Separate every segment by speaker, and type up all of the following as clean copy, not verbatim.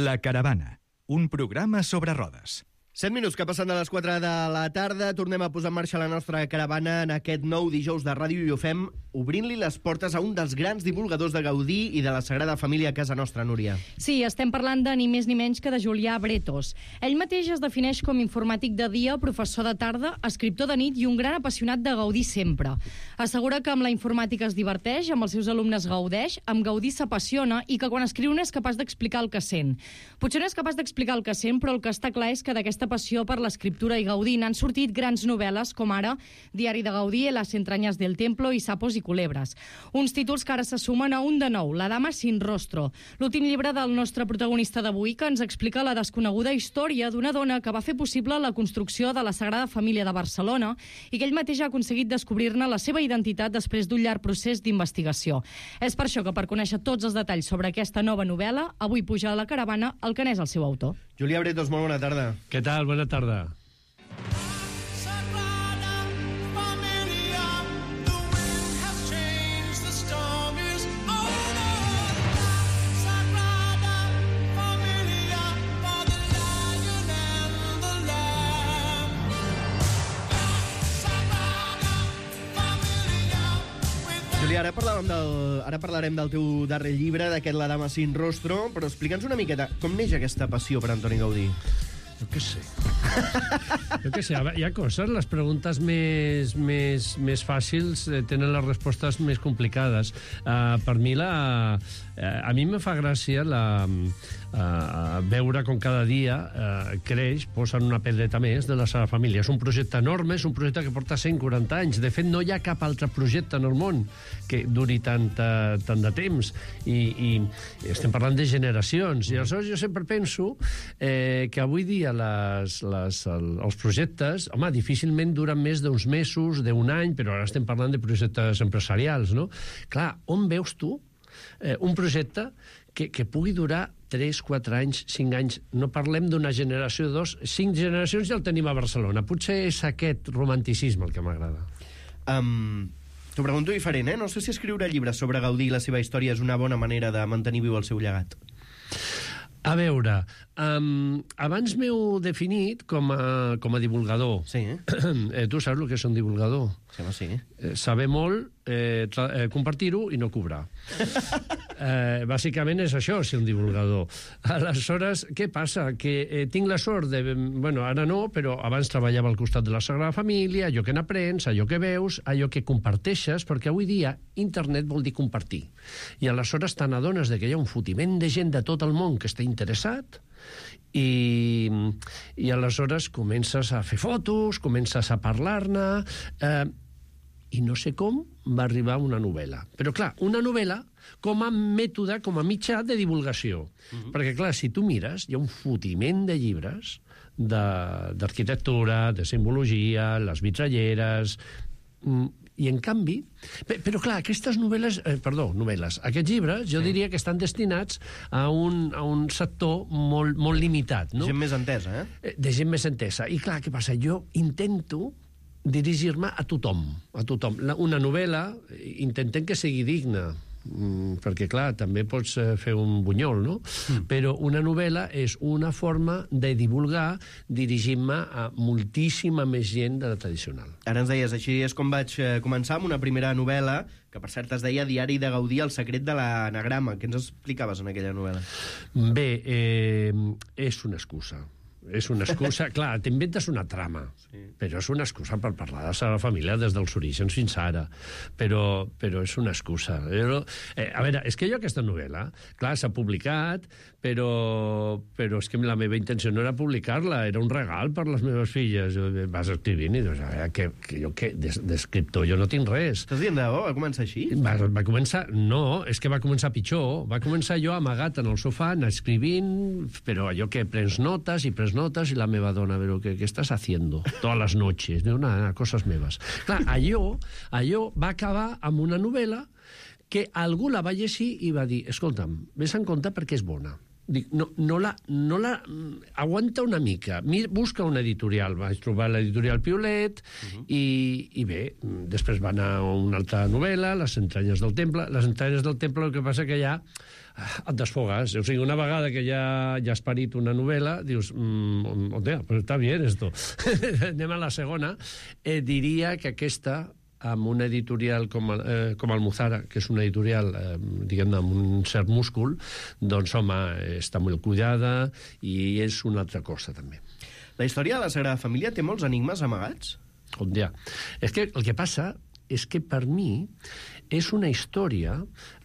Speaker 1: La Caravana, un programa sobre rodes.
Speaker 2: 7 minuts que passen de les 4 de la tarda. Tornem a posar en marxa la nostra caravana en aquest nou dijous de ràdio i ho fem obrint-li les portes a un dels grans divulgadors de Gaudí i de la Sagrada Família a casa nostra, Núria.
Speaker 3: Sí, estem parlant de ni més ni menys que de Julià Bretos. Ell mateix es defineix com informàtic de dia, professor de tarda, escriptor de nit i un gran apassionat de Gaudí sempre. Assegura que amb la informàtica es diverteix, amb els seus alumnes gaudeix, amb Gaudí s'apassiona i que quan escriu no és capaç d'explicar el que sent. Potser no és capaç d'explicar el que sent, però el que està clar és que d'aquesta passió per l'escriptura i Gaudí n'han sortit grans novel·les com ara Diari de Gaudí, Las entrañas del templo i Sapos i culebres. Uns títols que ara se sumen a un de nou, La dama sin rostro, l'últim llibre del nostre protagonista d'avui que ens explica la desconeguda història d'una dona que va fer possible la construcció de la Sagrada Família de Barcelona i que ell mateix ha aconseguit descobrir-ne la seva identitat després d'un llarg procés d'investigació. És per això que per conèixer tots els detalls sobre aquesta nova novel·la, avui puja a la caravana el que n'és el seu autor.
Speaker 2: Julià Bretos, molt bona tarda.
Speaker 4: Què tal? Bona tarda.
Speaker 2: Julià, ara parlarem del teu darrer llibre, d'aquest La dama sin rostro, però explica'ns una miqueta com neix aquesta passió per Antoni Gaudí.
Speaker 4: Jo què sé. Hi ha coses, les preguntes més fàcils tenen les respostes més complicades. Per mi, a mi me fa gràcia veure com cada dia creix, posen una pedreta més de la Sagrada Família. És un projecte enorme, és un projecte que porta 140 anys. De fet, no hi ha cap altre projecte en el món que duri tant de temps. I estem parlant de generacions. I aleshores jo sempre penso que avui dia els projectes, home, difícilment duren més d'uns mesos, d'un any, però ara estem parlant de projectes empresarials, no? Clar, on veus tu un projecte que pugui durar 3, 4 anys, 5 anys? No parlem d'una generació, 2, 5 generacions ja el tenim a Barcelona. Potser és aquest romanticisme el que m'agrada.
Speaker 2: T'ho pregunto diferent, No sé si escriure llibres sobre Gaudí i la seva història és una bona manera de mantenir viu el seu llegat.
Speaker 4: A veure, abans m'heu definit com a divulgador.
Speaker 2: Sí,
Speaker 4: Tu saps el que és un divulgador?
Speaker 2: Sí.
Speaker 4: Saber molt, compartir-ho i no cobrar. Bàsicament és això, ser un divulgador. Aleshores, què passa? Que tinc la sort de... Bueno, ara no, però abans treballava al costat de la Sagrada Família, allò que n'aprens, allò que veus, allò que comparteixes, perquè avui dia internet vol dir compartir. I aleshores te n'adones que hi ha un fotiment de gent de tot el món que està interessat i aleshores comences a fer fotos, comences a parlar-ne... I no sé com va arribar una novel·la. Però, clar, una novel·la com a mètode, com a mitjà de divulgació. Perquè, clar, si tu mires, hi ha un fotiment de llibres d'arquitectura, de simbologia, les vitralleres... I, en canvi... Però, clar, aquestes novel·les... Aquests llibres, jo diria que estan destinats a un sector molt limitat, no?
Speaker 2: Gent més entesa,
Speaker 4: De gent més entesa. I, clar, què passa? Jo intento dirigir-me a tothom. Una novel·la intentem que sigui digna, perquè, clar, també pots fer un bunyol, no? Però una novel·la és una forma de divulgar dirigint-me a moltíssima més gent de la tradicional.
Speaker 2: Ara ens deies, així és com vaig començar amb una primera novel·la, que per cert es deia Diari de Gaudí, el secret de l'anagrama. Què ens explicaves en aquella novel·la?
Speaker 4: Bé, és una excusa. És una excusa, clar, t'inventes una trama, però és una excusa per parlar de la Sagrada Família des dels orígens fins ara, però és una excusa. A veure, és que jo aquesta novel·la, clar, s'ha publicat, però és que la meva intenció no era publicar-la, era un regal per les meves filles. Vas escrivint i dius, a veure, que jo d'escriptor jo no tinc res.
Speaker 2: Estàs dient de bo? Va començar així?
Speaker 4: Va començar... No, és que va començar pitjor. Va començar jo amagat en el sofà, anar escrivint, però allò que prens notes i la meva dona, però què estàs haciendo todas las noches? Diu, nada, coses meves. Clar, allò va acabar amb una novel·la que algú la va llegir i va dir, escolta'm, vés en compte perquè és bona. dic, no la aguanta una mica, busca una editorial. Vaig trobar l'editorial Piolet i bé, després va anar a una altra novel·la, Les entranyes del temple. Les entranyes del temple, el que passa que ja et desfogues. O sigui, una vegada que ja has parit una novel·la, dius, hòstia, però està bé esto. Anem a la segona. Diria que aquesta, amb una editorial com Almuzara, que és una editorial, diguem-ne, amb un cert múscul, doncs, home, està molt cuidada i és una altra cosa, també.
Speaker 2: La història de la Sagrada Família té molts enigmes amagats?
Speaker 4: Ja. És que el que passa és que per mi és una història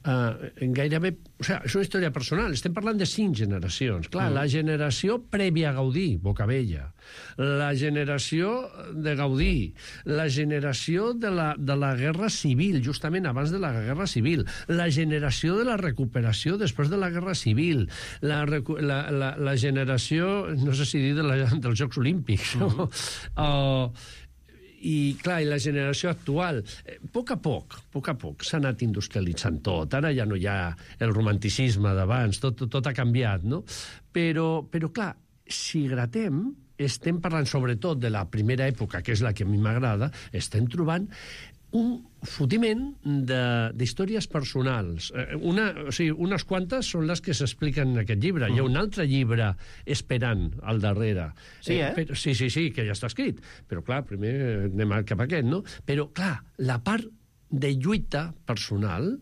Speaker 4: gairebé... O sigui, és una història personal. Estem parlant de 5 generacions. Clar, la generació prèvia a Gaudí, Bocabella, la generació de Gaudí, la generació de la Guerra Civil, justament abans de la Guerra Civil, la generació de la recuperació després de la Guerra Civil, la generació, no sé si dir, dels Jocs Olímpics, no? I, clar, i la generació actual, a poc a poc s'ha anat industrialitzant tot. Ara ja no hi ha el romanticisme d'abans, tot ha canviat, no? Però, clar, si gratem, estem parlant sobretot de la primera època, que és la que a mi m'agrada, estem trobant un fotiment d'històries personals. O sigui, unes quantes són les que s'expliquen en aquest llibre. Hi ha un altre llibre esperant al darrere.
Speaker 2: Sí,
Speaker 4: Sí, que ja està escrit. Però, clar, primer anem cap a aquest, no? Però, clar, la part de lluita personal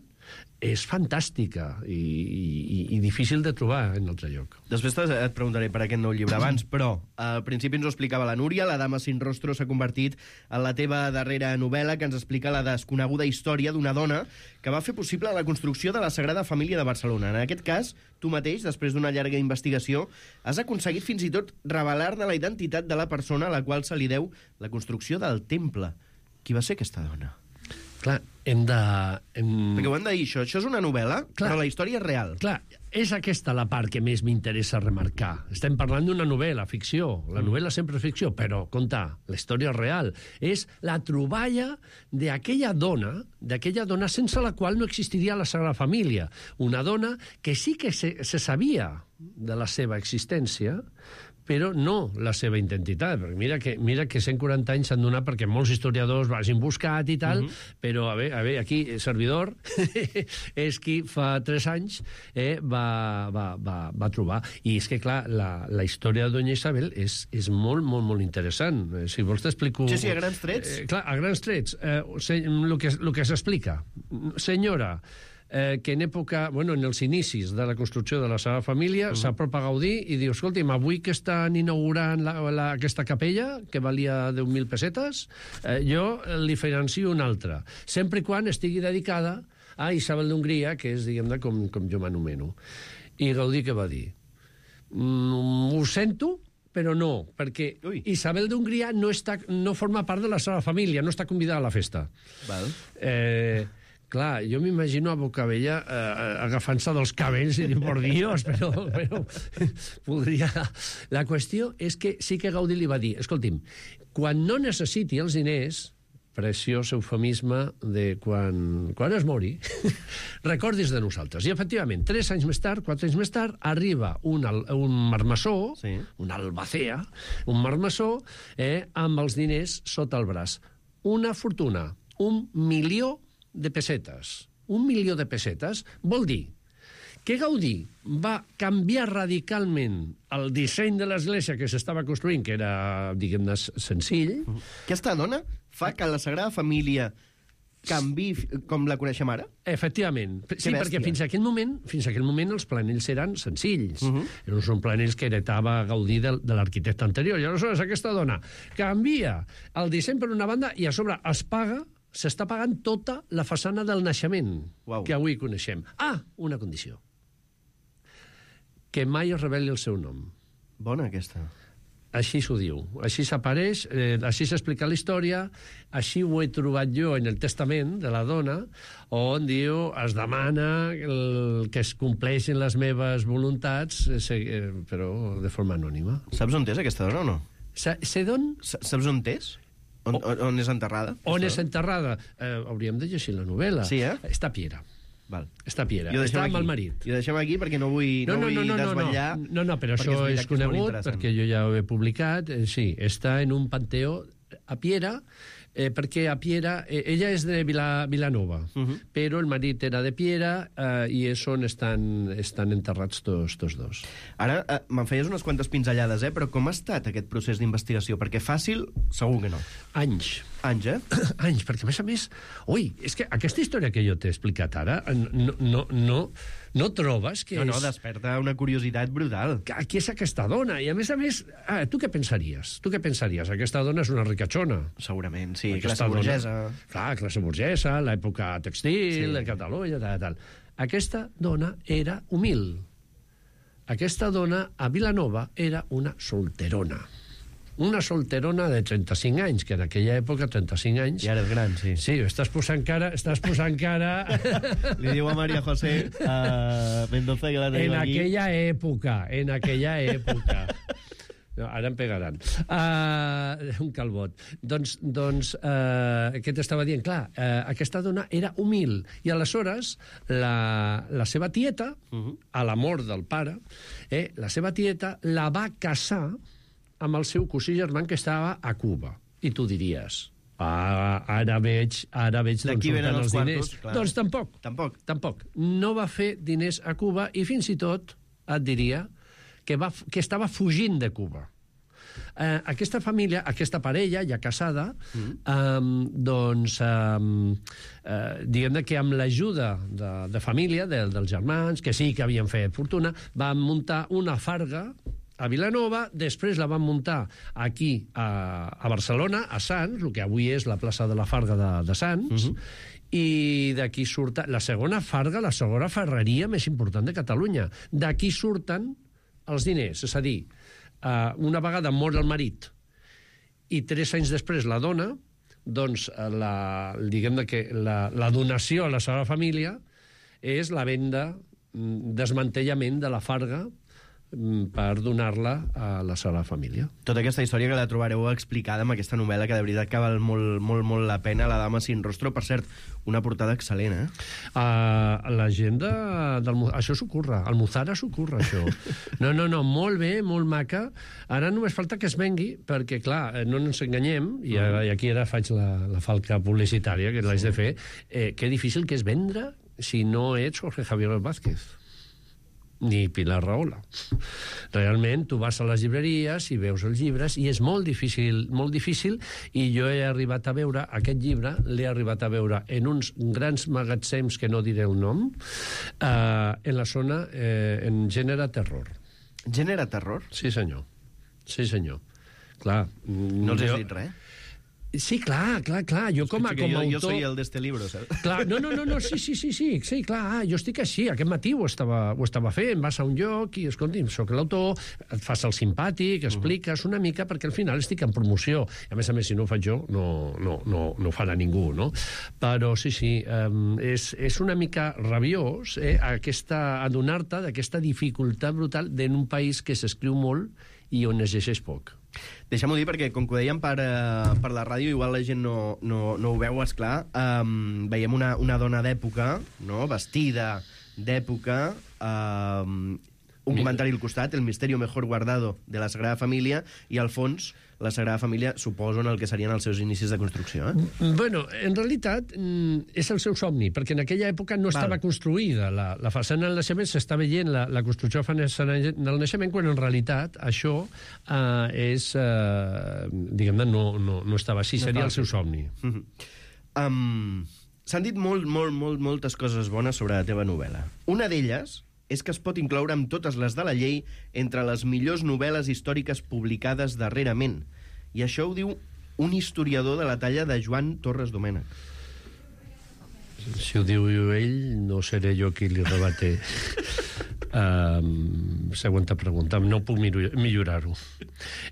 Speaker 4: és fantàstica i difícil de trobar en altre lloc.
Speaker 2: Després et preguntaré per aquest nou llibre abans, però al principi ens ho explicava la Núria, La dama sin rostro s'ha convertit en la teva darrera novel·la que ens explica la desconeguda història d'una dona que va fer possible la construcció de la Sagrada Família de Barcelona. En aquest cas, tu mateix, després d'una llarga investigació, has aconseguit fins i tot revelar-ne la identitat de la persona a la qual se li deu la construcció del temple. Qui va ser aquesta dona?
Speaker 4: Clar, hem de...
Speaker 2: Perquè ho hem de dir, això és una novel·la, però la història és real.
Speaker 4: Clar, és aquesta la part que més m'interessa remarcar. Estem parlant d'una novel·la, ficció. La novel·la sempre és ficció, però, compte, la història és real. És la troballa d'aquella dona sense la qual no existiria la Sagrada Família. Una dona que sí que se sabia de la seva existència, però no la seva identitat. Perquè mira que 140 anys s'han donat perquè molts historiadors l'hagin buscat i tal, però, a veure, aquí, servidor, és qui fa 3 anys va trobar. I és que, clar, la història de Doña Isabel és molt, molt, molt interessant. Si vols t'explico...
Speaker 2: Sí, a grans trets.
Speaker 4: Clar, a grans trets. El que s'explica. Senyora, que en època, en els inicis de la construcció de la Sagrada Família, s'apropa Gaudí i diu, escolti'm, avui que estan inaugurant aquesta capella, que valia 10.000 pessetes, jo li financio una altra, sempre i quan estigui dedicada a Isabel d'Hongria, que és, diguem-ne, com jo m'anomeno. I Gaudí què va dir? Ho sento, però no, perquè Isabel d'Hongria no forma part de la Sagrada Família, no està convidada a la festa.
Speaker 2: Val.
Speaker 4: Clar, jo m'imagino a Bocabella agafant-se dels cabells i diu, por Dios, però podria... La qüestió és que sí que Gaudí li va dir, escolti'm, quan no necessiti els diners, preciós eufemisme de quan es mori, recordis de nosaltres. I, efectivament, 3 anys més tard, 4 anys més tard, arriba un marmessó, un albacea, un marmessó, amb els diners sota el braç. Una fortuna, 1.000.000 de pessetes. 1.000.000 de pessetes vol dir que Gaudí va canviar radicalment el disseny de l'església que s'estava construint, que era, diguem-ne, senzill.
Speaker 2: Aquesta dona fa que la Sagrada Família canvi com la coneixem ara?
Speaker 4: Efectivament. Sí, perquè fins a aquell moment els planells eren senzills. Són planells que heretava Gaudí de l'arquitecte anterior. I aleshores aquesta dona canvia el disseny per una banda i a sobre s'està pagant tota la façana del naixement que avui coneixem. Una condició. Que mai es reveli el seu nom.
Speaker 2: Bona, aquesta.
Speaker 4: Així s'ho diu. Així s'apareix, així s'explica la història, així ho he trobat jo en el testament de la dona, on diu, es demana que es compleixin les meves voluntats, però de forma anònima.
Speaker 2: Saps on és aquesta dona o no? Saps on és? On és enterrada?
Speaker 4: On és enterrada? Hauríem de llegir la novel·la.
Speaker 2: Sí,
Speaker 4: Està a Piera.
Speaker 2: Val.
Speaker 4: Està a Piera.
Speaker 2: I ho deixem
Speaker 4: Està amb
Speaker 2: aquí.
Speaker 4: el marit.
Speaker 2: I ho deixem aquí perquè no vull desvetllar.
Speaker 4: No, però
Speaker 2: perquè
Speaker 4: això
Speaker 2: veritat
Speaker 4: és
Speaker 2: que molt
Speaker 4: conegut,
Speaker 2: interessant.
Speaker 4: perquè jo ja ho he publicat. Sí, està en un panteó a Piera, perquè a Piera... ella és de Vilanova, però el marit era de Piera i és on estan enterrats tots dos.
Speaker 2: Ara, me'n feies unes quantes pinzellades, però com ha estat aquest procés d'investigació? Perquè fàcil, segur que no.
Speaker 4: Anys,
Speaker 2: Anys,
Speaker 4: perquè a més, és que aquesta història que jo t'he explicat ara no trobes que
Speaker 2: No, desperta una curiositat brutal.
Speaker 4: qui és aquesta dona? I a més, tu què pensaries? Aquesta dona és una ricachona.
Speaker 2: Segurament, sí,
Speaker 4: Aquesta
Speaker 2: classe burgesa.
Speaker 4: Clar, classe burgesa, l'època textil, de Catalunya, tal. Aquesta dona era humil. Aquesta dona, a Vilanova, era una solterona. Una solterona de 35 anys, que en aquella època, 35 anys...
Speaker 2: Ja eres gran, sí.
Speaker 4: Sí, estàs posant cara...
Speaker 2: Li diu a María José Mendoza que la tenim aquí.
Speaker 4: En aquella època. No, ara em pegaran. Un calbot. Doncs què t'estava dient? Clar, aquesta dona era humil. I aleshores, la seva tieta, a la mort del pare, la seva tieta la va casar amb el seu cosí germà que estava a Cuba. I tu diries, ara veig d'on surten els diners. Doncs tampoc. No va fer diners a Cuba i fins i tot et diria que estava fugint de Cuba. Aquesta família, aquesta parella ja casada, diguem que amb l'ajuda de família, dels germans, que sí que havien fet fortuna, van muntar una farga a Vilanova, després la van muntar aquí a Barcelona, a Sants, el que avui és la plaça de la Farga de Sants, i d'aquí surt la segona farga, la segona ferreria més important de Catalunya. D'aquí surten els diners, és a dir, una vegada mor el marit i 3 anys després la dona, doncs diguem que la donació a la seva família és la venda, desmantellament de la farga per donar-la a la seva família.
Speaker 2: Tota aquesta història que la trobareu explicada amb aquesta novel·la, que de veritat que val molt la pena, La dama sin rostro. Per cert, una portada excel·lent,
Speaker 4: La gent això s'ocorre, al Muzara s'ocorre, això. No, molt bé, molt maca. Ara només falta que es vengui, perquè, clar, no ens enganyem, i aquí ara faig la falca publicitària, que l'haig de fer, que difícil que és vendre si no ets Jorge Javier Vázquez ni Pilar Rahola. Realment, tu vas a les llibreries i veus els llibres i és molt difícil, i jo he arribat a veure aquest llibre, l'he arribat a veure en uns grans magatzems, que no diré el nom, en la zona, en gènere terror.
Speaker 2: Gènere terror?
Speaker 4: Sí, senyor. Clar.
Speaker 2: No els has dit res?
Speaker 4: Sí, clar. Jo com a autor...
Speaker 2: Jo soy el d'este libro, saps?
Speaker 4: Clar, no, sí, clar, jo estic així. Aquest matí ho estava fent, vas a un lloc i, escolti, soc l'autor, et fas el simpàtic, expliques una mica, perquè al final estic en promoció. A més, si no ho faig jo, no ho farà ningú, no? Però sí, és una mica rabiós adonar-te d'aquesta dificultat brutal d'un país que s'escriu molt i on es llegeix poc.
Speaker 2: Deixem-ho dir perquè, com que ho dèiem per la ràdio, igual la gent no ho veu, esclar. Veiem una dona d'època, no? Vestida d'època, un comentari al costat, el misterio mejor guardado de la Sagrada Família, i al fons la Sagrada Família suposo en el que serien els seus inicis de construcció.
Speaker 4: Bueno, en realitat és el seu somni, perquè en aquella època no estava construïda. La façana del naixement s'està veient, la construcció del naixement, quan en realitat això és, diguem-ne, no estava així, seria el seu somni.
Speaker 2: S'han dit moltes coses bones sobre la teva novel·la. Una d'elles és que es pot incloure amb totes les de la llei entre les millors novel·les històriques publicades darrerament. I això ho diu un historiador de la talla de Joan Torres Domènech.
Speaker 4: Si ho diu ell, no seré jo qui li rebate. Següent pregunta, no puc millorar-ho.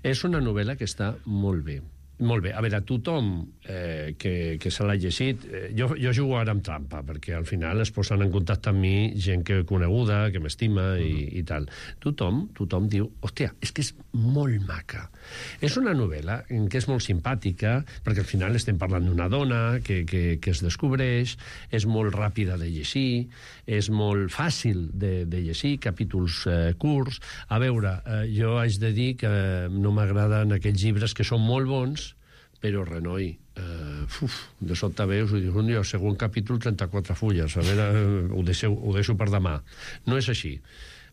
Speaker 4: És una novel·la que està molt bé. Molt bé, a veure, tothom que se l'ha llegit, jo jugo ara amb trampa, perquè al final es posen en contacte amb mi gent que coneguda, que m'estima i tal. Tothom diu, hòstia, és que és molt maca. És una novel·la que és molt simpàtica, perquè al final estem parlant d'una dona que es descobreix, és molt ràpida de llegir, és molt fàcil de llegir, capítols curts. A veure, jo haig de dir que no m'agraden aquells llibres que són molt bons, però renoi, de sobte veus i dius, el segon capítol 34 fulles, a veure, ho deixo per demà. No és així.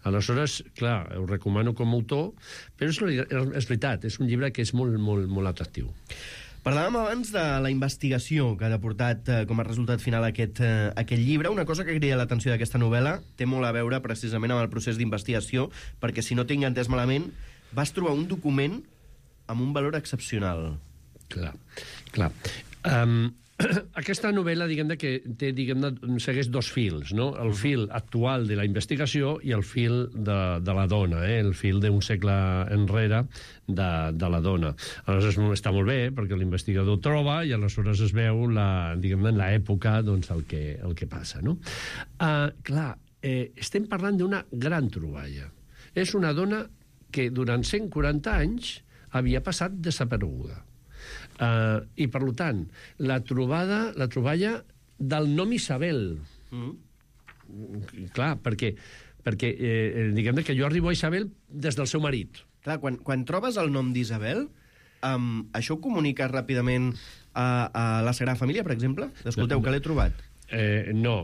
Speaker 4: Aleshores, clar, ho recomano com a autor, però és veritat, és un llibre que és molt, molt, molt atractiu.
Speaker 2: Parlàvem abans de la investigació que ha deportat com a resultat final aquest llibre. Una cosa que crida l'atenció d'aquesta novel·la té molt a veure precisament amb el procés d'investigació, perquè si no tinc entès malament, vas trobar un document amb un valor excepcional.
Speaker 4: Clar. Aquesta novel·la, segueix dos fils, no? El fil actual de la investigació i el fil de la dona, el fil d'un segle enrere de la dona. Aleshores està molt bé, perquè l'investigador troba i aleshores es veu en l'època el que passa, no? Clar, estem parlant d'una gran troballa. És una dona que durant 140 anys havia passat desapareguda. I, per tant, la troballa del nom Isabel. Clar, perquè diguem que jo arribo a Isabel des del seu marit.
Speaker 2: Clar, quan trobes el nom d'Isabel, això ho comuniques ràpidament a la Sagrada Família, per exemple? Escolteu, que l'he trobat. No,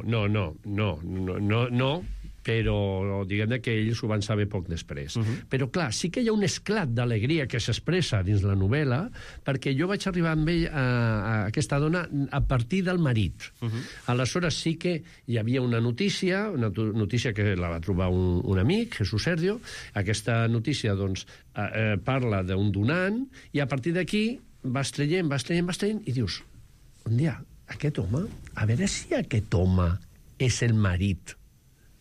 Speaker 2: però diguem que ells ho van saber poc després. Però, clar, sí que hi ha un esclat d'alegria que s'expressa dins la novel·la, perquè jo vaig arribar amb ell a aquesta dona a partir del marit. Aleshores sí que hi havia una notícia que la va trobar un amic, Jesús Sergio. Aquesta notícia, doncs, parla d'un donant, i a partir d'aquí vas traient, i dius, un dia, aquest home, a veure si aquest home és el marit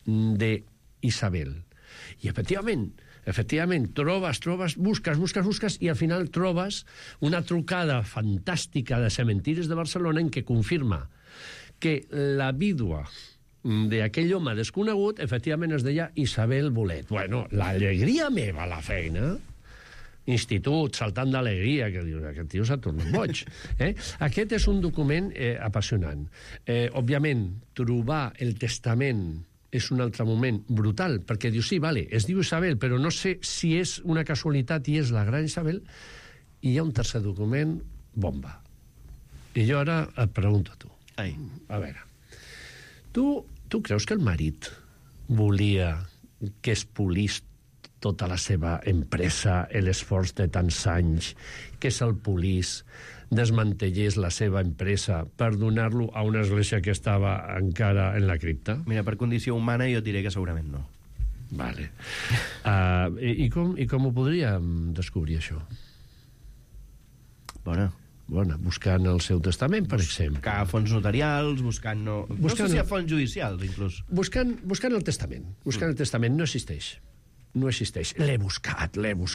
Speaker 2: d'Isabel. I efectivament, trobes, busques, i al final trobes una trucada fantàstica de Cementiris de Barcelona en què confirma que la vídua d'aquell home desconegut efectivament es deia Isabel Bolet. Bueno, l'alegria meva a la feina, institut, saltant d'alegria, que dius, aquest tio s'ha tornat boig. Aquest és un document apassionant. Òbviament, trobar el testament és un altre moment brutal, perquè dius, sí, vale, es diu Isabel, però no sé si és una casualitat i és la gran Isabel, i hi ha un tercer document, bomba. I jo ara et pregunto a tu. A veure, tu creus que el marit volia que es polís tota la seva empresa, l'esforç de tants anys, que se'l polís, desmantellés la seva empresa per donar-lo a una església que estava encara en la cripta? Mira, per condició humana jo et diré que segurament no.
Speaker 4: Vale. I com ho podríem descobrir, això?
Speaker 2: Bona,
Speaker 4: buscant el seu testament, per exemple.
Speaker 2: Buscar fonts notarials, buscant... No sé si hi ha fonts judicials, inclús.
Speaker 4: Buscant el testament. Buscant el testament no existeix. No existeix. L'he buscat. Mil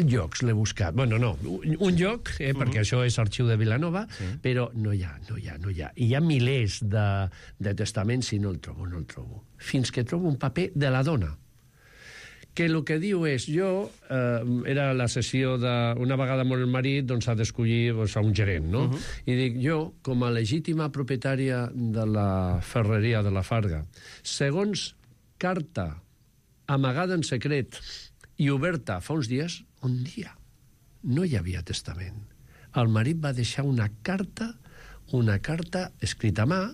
Speaker 4: llocs l'he buscat. Bueno, no, un lloc, perquè això és Arxiu de Vilanova, però no hi ha. Hi ha milers de testaments i no el trobo. Fins que trobo un paper de la dona, que el que diu és, era la sessió una vegada mort el marit, doncs ha d'escollir a un gerent, no? I dic, jo, com a legítima propietària de la ferreria de la Farga, segons carta amagada en secret i oberta fa uns dies, un dia no hi havia testament. El marit va deixar una carta escrita a mà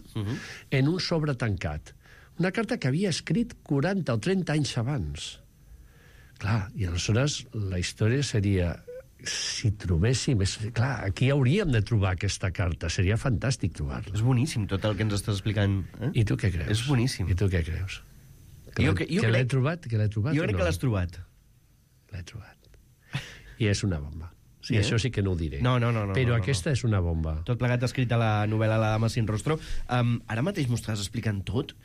Speaker 4: en un sobre tancat. Una carta que havia escrit 40 o 30 anys abans. Clar, i aleshores la història seria, si trobéssim... Clar, aquí hauríem de trobar aquesta carta. Seria fantàstic trobar-la.
Speaker 2: És boníssim tot el que ens estàs explicant.
Speaker 4: I tu què creus?
Speaker 2: És boníssim.
Speaker 4: I tu què creus? Que l'he trobat?
Speaker 2: Jo crec que l'has trobat.
Speaker 4: L'he trobat. I és una bomba. Sí, això sí que no ho diré.
Speaker 2: No.
Speaker 4: Però aquesta és una bomba.
Speaker 2: Tot plegat escrit a la novel·la La dama sin rostro. Ara mateix m'ho estàs explicant tot.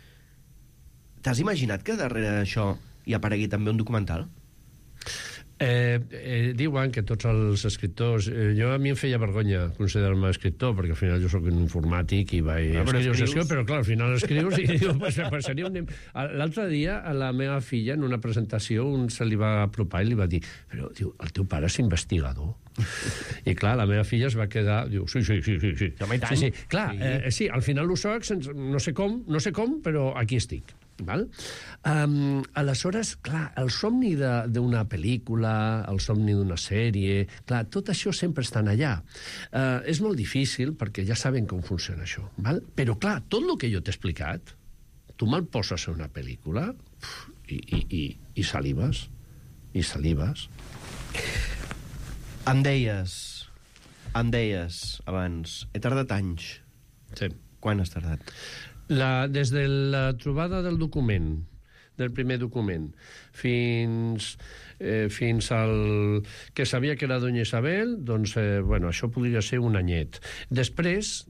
Speaker 2: T'has imaginat que darrere d'això hi aparegui també un documental?
Speaker 4: Diuen que tots els escriptors... a mi em feia vergonya considerar-me escriptor, perquè al final jo sóc un informàtic i vaig escriure, però clar, al final escrius i diu, pues seria un... L'altre dia, a la meva filla, en una presentació, un se li va apropar i li va dir, però, diu, el teu pare és investigador. I clar, la meva filla es va quedar, diu, sí. Sí, clar, sí, al final ho soc, no sé com, però aquí estic. Val? Aleshores, clar, el somni d'una pel·lícula, el somni d'una sèrie, clar, tot això sempre estan allà. És molt difícil perquè ja saben com funciona això, val? Però clar, tot el que jo t'he explicat, tu me'l poses a una pel·lícula i salives,
Speaker 2: Em deies abans, he tardat anys.
Speaker 4: Sí.
Speaker 2: Quan has tardat?
Speaker 4: Des de la trobada del document, del primer document, fins al que sabia que era Doña Isabel, doncs, això podria ser un anyet. Després,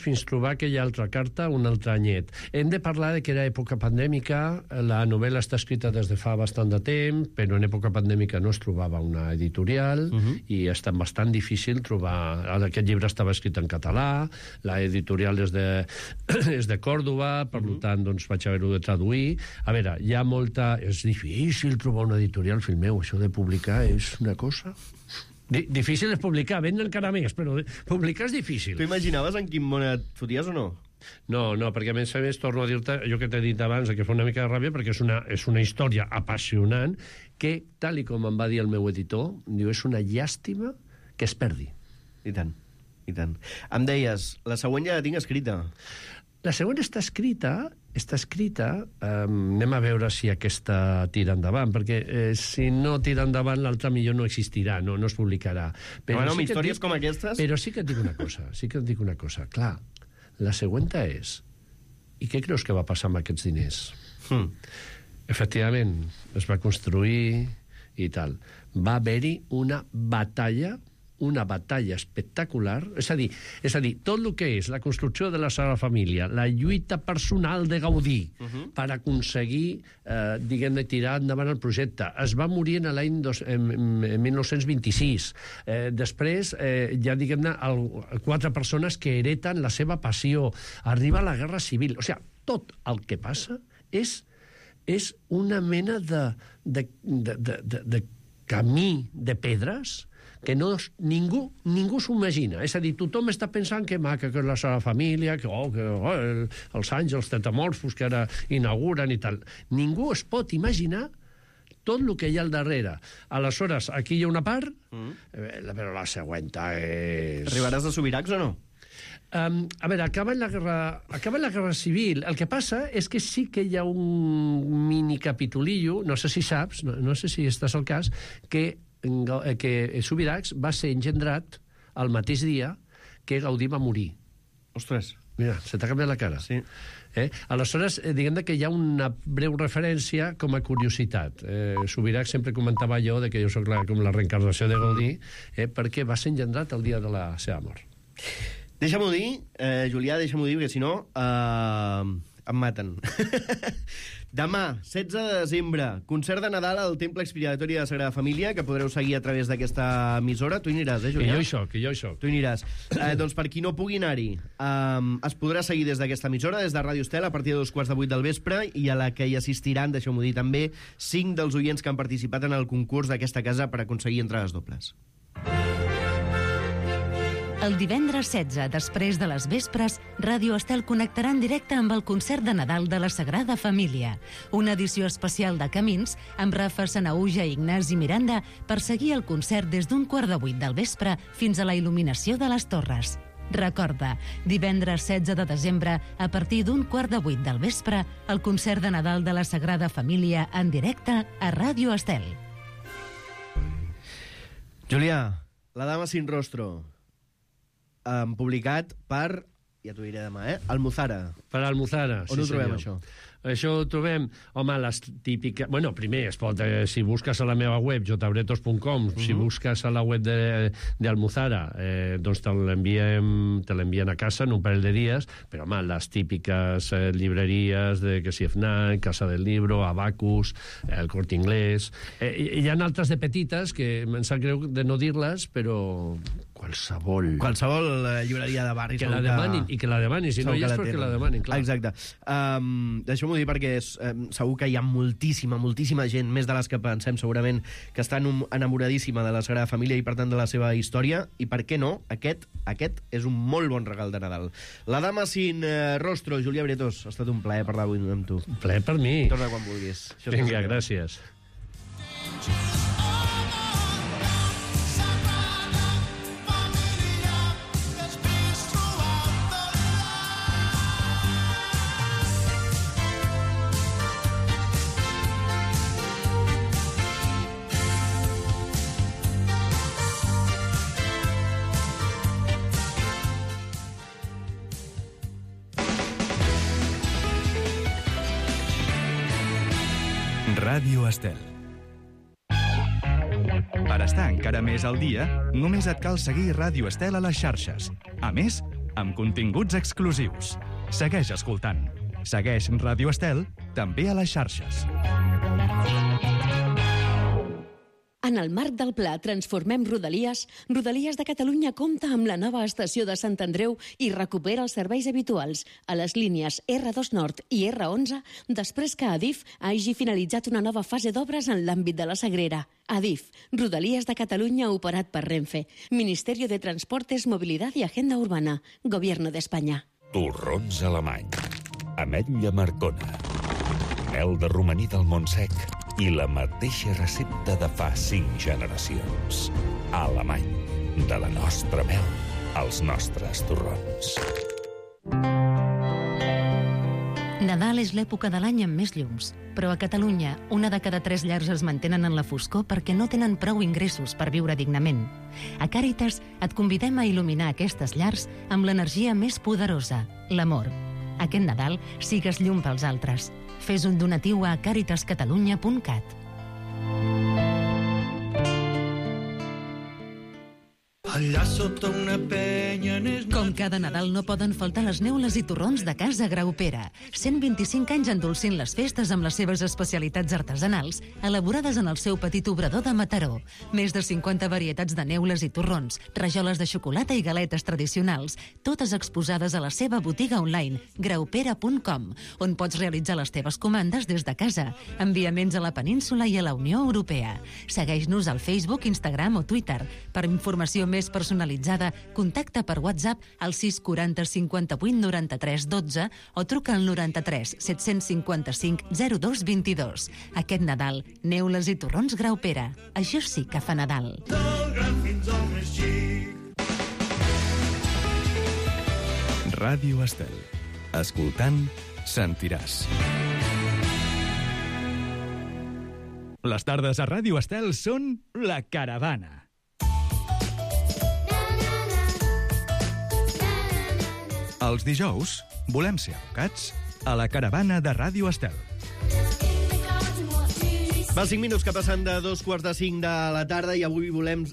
Speaker 4: fins trobar aquella altra carta, un altre anyet. Hem de parlar de que era època pandèmica, la novel·la està escrita des de fa bastant de temps, però en època pandèmica no es trobava una editorial, i ha estat bastant difícil trobar... Aquest llibre estava escrit en català, la editorial és de Còrdova, per tant, doncs, vaig haver-ho de traduir. A veure, hi ha molta... És difícil trobar una editorial, fill meu, això de publicar és una cosa... Difícil és publicar, vendre encara més, però publicar és difícil.
Speaker 2: Tu imaginaves en quin món et foties o no?
Speaker 4: No, perquè a més torno a dir-te, jo que t'he dit abans, que fa una mica de ràbia, perquè és una història apassionant que, tal i com em va dir el meu editor, diu, és una llàstima que es perdi.
Speaker 2: I tant. Em deies, la següent ja la tinc escrita.
Speaker 4: La següent està escrita, anem a veure si aquesta tira endavant, perquè si no tira endavant l'altra millor no existirà, no es publicarà.
Speaker 2: Però amb històries com aquestes...
Speaker 4: Però sí que et dic una cosa, clar, la següent és, i què creus que va passar amb aquests diners? Efectivament, es va construir i tal. Va haver-hi una batalla espectacular, és a dir, tot el que és la construcció de la Sagrada Família, la lluita personal de Gaudí per aconseguir, diguem-ne, tirar endavant el projecte. Es va morir en l'any 1926. Després, ja, diguem-ne, 4 persones que hereten la seva passió. Arriba la Guerra Civil. O sigui, tot el que passa és una mena de camí de pedres que ningú s'ho imagina. És a dir, tothom està pensant que maca que és la Sagrada Família, que els àngels tetamorfos que ara inauguren i tal. Ningú es pot imaginar tot el que hi ha al darrere. Aleshores, aquí hi ha una part, però la següent és...
Speaker 2: Arribaràs a Subirachs o no?
Speaker 4: A veure, acaba la Guerra Civil. El que passa és que sí que hi ha un mini capitulillo, no sé si saps, no sé si estàs al cas, que Subirachs va ser engendrat el mateix dia que Gaudí va morir.
Speaker 2: Ostres.
Speaker 4: Mira, se t'ha canviat la cara.
Speaker 2: Sí.
Speaker 4: Aleshores, diguem que hi ha una breu referència com a curiositat. Subirachs sempre comentava jo que jo soc com la reencarnació de Gaudí, perquè va ser engendrat el dia de la seva mort.
Speaker 2: Deixa-m'ho dir, Julià, perquè si no em maten. Demà, 16 de desembre, concert de Nadal al Temple Expiratori de la Sagrada Família, que podreu seguir a través d'aquesta emissora. Tu hi aniràs, Julià?
Speaker 4: Que jo hi soc.
Speaker 2: Tu hi aniràs. Doncs per qui no pugui anar-hi, es podrà seguir des d'aquesta emissora, des de Ràdio Estel, a partir de 7:45 del vespre, i a la que hi assistiran, deixeu-m'ho dir també, 5 dels oients que han participat en el concurs d'aquesta casa per aconseguir entrades dobles.
Speaker 5: El divendres 16, després de les vespres, Ràdio Estel connectarà en directe amb el concert de Nadal de la Sagrada Família. Una edició especial de Camins, amb Rafa Sanahuja i Ignasi Miranda, per seguir el concert des d'7:15 del vespre fins a la il·luminació de les torres. Recorda, divendres 16 de desembre, a partir d'7:15 del vespre, el concert de Nadal de la Sagrada Família en directe a Ràdio Estel.
Speaker 2: Julià, La dama sin rostro, publicat per, ja t'ho diré demà, Almuzara.
Speaker 4: Per Almuzara,
Speaker 2: On ho trobem, això?
Speaker 4: Això ho trobem, home, les típiques... Bueno, primer, es pot, si busques a la meva web, jbretos.com, si busques a la web d'Almuzara, doncs te l'envien a casa en un parell de dies, però, home, les típiques llibreries de que si FNAC, Casa del Libro, Abacus, el Corte Inglés... Hi ha altres de petites que em sap greu de no dir-les, però qualsevol
Speaker 2: llibreria de barri.
Speaker 4: Que la demanin, i que la demanin, si no hi és perquè la demanin, clar.
Speaker 2: Exacte. Deixeu-m'ho dir perquè segur que hi ha moltíssima gent, més de les que pensem segurament, que està enamoradíssima de la Sagrada Família i per tant de la seva història, i per què no, aquest és un molt bon regal de Nadal. La dama sin rostro, Julià Bretos, ha estat un plaer parlar avui amb tu.
Speaker 4: Plaer per mi.
Speaker 2: Torna quan vulguis.
Speaker 4: Vinga, gràcies.
Speaker 1: Ràdio Estel. Per estar encara més al dia, només et cal seguir Ràdio Estel a les xarxes. A més, amb continguts exclusius. Segueix escoltant. Segueix Ràdio Estel també a les xarxes.
Speaker 6: En el marc del pla Transformem Rodalies, Rodalies de Catalunya compta amb la nova estació de Sant Andreu i recupera els serveis habituals a les línies R2 Nord i R11 després que Adif hagi finalitzat una nova fase d'obres en l'àmbit de la Sagrera. Adif, Rodalies de Catalunya operat per Renfe, Ministerio de Transportes, Movilidad y Agenda Urbana, Gobierno de España.
Speaker 7: Torrons alemany, ametlla marcona, mel de romaní del Montsec i la mateixa recepta de fa 5 generacions. Alemany, de la nostra mel als nostres torrons.
Speaker 5: Nadal és l'època de l'any amb més llums, però a Catalunya, 1 de cada 3 llars es mantenen en la foscor perquè no tenen prou ingressos per viure dignament. A Càritas et convidem a il·luminar aquestes llars amb l'energia més poderosa, l'amor. Aquest Nadal sigues llum pels altres. Fes un donatiu a caritascatalunya.cat.
Speaker 8: Allà sota una penya...
Speaker 5: Com cada Nadal no poden faltar les neules i torrons de Casa Graupera. 125 anys endolcint les festes amb les seves especialitats artesanals, elaborades en el seu petit obrador de Mataró. Més de 50 varietats de neules i torrons, rajoles de xocolata i galetes tradicionals, totes exposades a la seva botiga online, graupera.com, on pots realitzar les teves comandes des de casa. Enviaments a la península i a la Unió Europea. Segueix-nos al Facebook, Instagram o Twitter. Per informació més personalitzada, contacta per WhatsApp al 640 58 93 12 o truca al 93 755 02 22. Aquest Nadal, neules i torrons Graupera. Això sí que fa Nadal.
Speaker 8: Del gran fins al més xic.
Speaker 1: Ràdio Estel. Escoltant, sentiràs. Les tardes a Ràdio Estel són La Caravana. Els dijous volem ser abocats a La Caravana de Ràdio Estel.
Speaker 2: Va 5 minuts que passen de 2:45 de la tarda i avui volem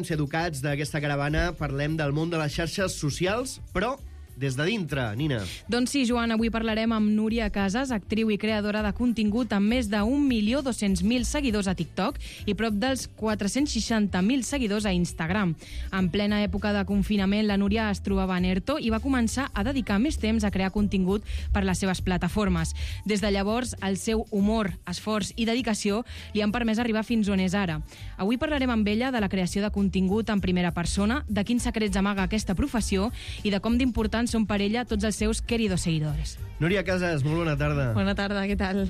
Speaker 2: ser educats d'aquesta caravana. Parlem del món de les xarxes socials, però des de dintre, Nina.
Speaker 3: Doncs sí, Joan, avui parlarem amb Núria Casas, actriu i creadora de contingut amb més de 1.200.000 seguidors a TikTok i prop dels 460.000 seguidors a Instagram. En plena època de confinament, la Núria es trobava en ERTO i va començar a dedicar més temps a crear contingut per les seves plataformes. Des de llavors, el seu humor, esforç i dedicació li han permès arribar fins on és ara. Avui parlarem amb ella de la creació de contingut en primera persona, de quins secrets amaga aquesta professió i de com d'important són per ella tots els seus queridos seguidores.
Speaker 2: Núria Casas, molt bona tarda.
Speaker 3: Bona tarda, què tal?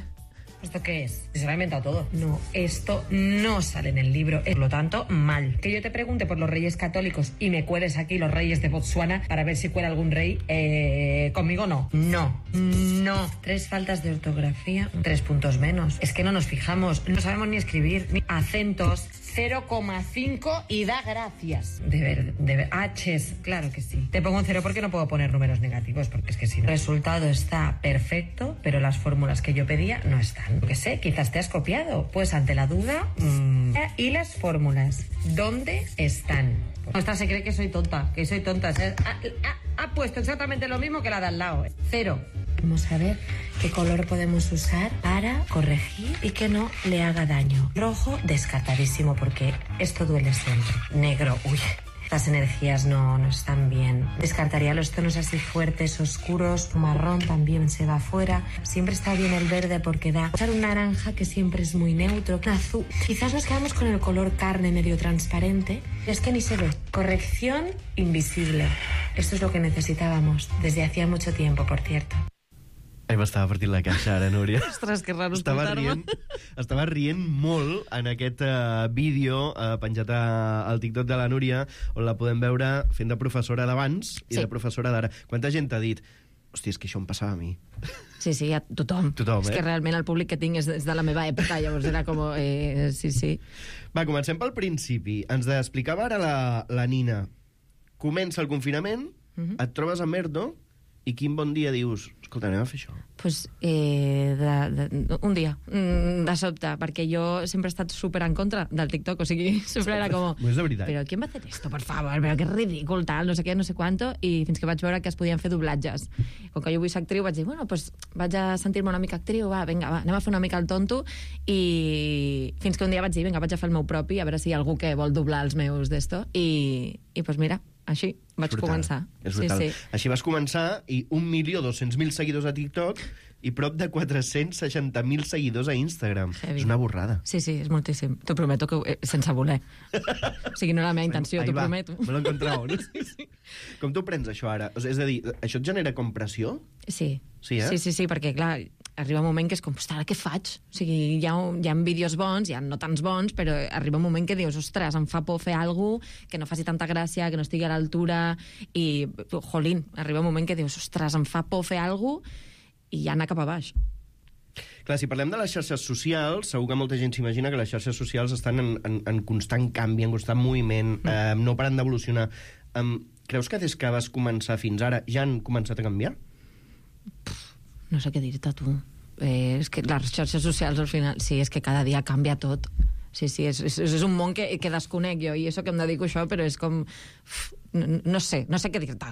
Speaker 9: ¿Esto qué es? Se lo ha inventado todo. No, esto no sale en el libro. Por lo tanto, mal. Que yo te pregunte por los reyes católicos y me cueles aquí los reyes de Botsuana para ver si cuela algún rey, conmigo no. No. 3 faltas de ortografía, 3 puntos menos. Es que no nos fijamos. No sabemos ni escribir, ni acentos, 0,5 y da gracias. De ver. H's, claro que sí. Te pongo un 0 porque no puedo poner números negativos, porque es que si no. El resultado está perfecto, pero las fórmulas que yo pedía no están. Lo que sé, quizás te has copiado. Pues ante la duda... ¿Y las fórmulas? ¿Dónde están? Esta se cree que soy tonta, Ha puesto exactamente lo mismo que la de al lado. 0. Vamos a ver qué color podemos usar para corregir y que no le haga daño. Rojo, descartadísimo, porque esto duele siempre. Negro, uy, las energías no están bien. Descartaría los tonos así fuertes, oscuros. Marrón también se va fuera. Siempre está bien el verde porque da. Usar un naranja que siempre es muy neutro. Un azul. Quizás nos quedamos con el color carne medio transparente. Es que ni se ve. Corrección invisible. Esto es lo que necesitábamos desde hacía mucho tiempo, por cierto.
Speaker 2: M'estava partint la caixa ara, Núria.
Speaker 3: Ostres, que raro escoltar-me.
Speaker 2: Estava rient molt en aquest vídeo penjat al TikTok de la Núria, on la podem veure fent de professora d'abans i de professora d'ara. Quanta gent t'ha dit hòstia, és que això em passava a mi?
Speaker 10: Sí, a tothom. És que realment el públic que tinc és de la meva època, llavors era com... sí.
Speaker 2: Va, comencem pel principi. Ens explicava ara la Nina. Comença el confinament, et trobes amb Erdo, i quin bon dia dius, escolta, anem a fer això?
Speaker 10: Pues, un dia, de sobte, perquè jo sempre he estat súper en contra del TikTok, o sigui, sempre era com...
Speaker 2: No és de veritat.
Speaker 10: Però ¿quién va a hacer esto, por favor? Però que ridícul, tal, no sé què, no sé quanto, i fins que vaig veure que es podien fer doblatges. Com que jo vull ser actriu, vaig dir, bueno, pues vaig a sentir-me una mica actriu, vinga, anem a fer una mica el tonto, i fins que un dia vaig dir, vinga, vaig a fer el meu propi, a veure si hi ha algú que vol doblar els meus d'esto, i pues mira, així vaig començar.
Speaker 2: És brutal. Sí. Així vas començar, i 1.200.000 seguidors a TikTok i prop de 460.000 seguidors a Instagram.
Speaker 10: Heavy.
Speaker 2: És una borrada.
Speaker 10: Sí, és moltíssim. T'ho prometo que sense voler. O sigui, no era la meva intenció, t'ho prometo.
Speaker 2: Me l'he encontrat, no? Sí. Com t'ho prens, això, ara? És a dir, això et genera com pressió?
Speaker 10: Sí.
Speaker 2: Sí,
Speaker 10: perquè, clar, arriba un moment que és com, ostres, ara què faig? O sigui, hi ha vídeos bons, hi ha no tants bons, però arriba un moment que dius, ostres, em fa por fer alguna cosa que no faci tanta gràcia, que no estigui a l'altura, i, jolín, arriba un moment que dius, ostres, em fa por fer alguna cosa, i ja anar cap a baix.
Speaker 2: Clar, si parlem de les xarxes socials, segur que molta gent s'imagina que les xarxes socials estan en constant canvi, en constant moviment, no paren d'evolucionar. Creus que des que vas començar fins ara ja han començat a canviar?
Speaker 10: No sé què dir-te, tu. És que les xarxes socials, al final, sí, és que cada dia canvia tot. Sí, és un món que desconec jo, i això que em dedico a això, però és com... No sé què dir-te.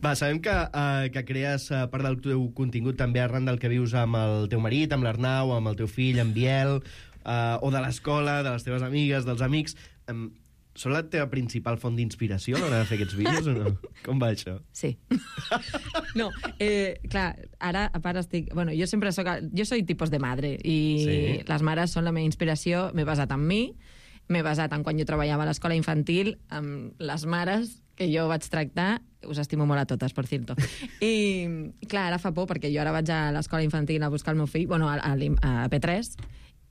Speaker 2: Va, sabem que crees part del teu contingut també arran del que vius amb el teu marit, amb l'Arnau, amb el teu fill, amb Biel, o de l'escola, de les teves amigues, dels amics. Són la teva principal font d'inspiració a l'hora de fer aquests vídeos o no? Com va això?
Speaker 10: Sí. No, clar, ara a part estic... Bueno, jo sempre soc... Jo soy tipus de madre i les mares són la meva inspiració. M'he basat en mi, m'he basat en quan jo treballava a l'escola infantil, amb les mares que jo vaig tractar. Us estimo molt a totes, per cierto. I, clar, ara fa por, perquè jo ara vaig a l'escola infantil a buscar el meu fill, bueno, a P3,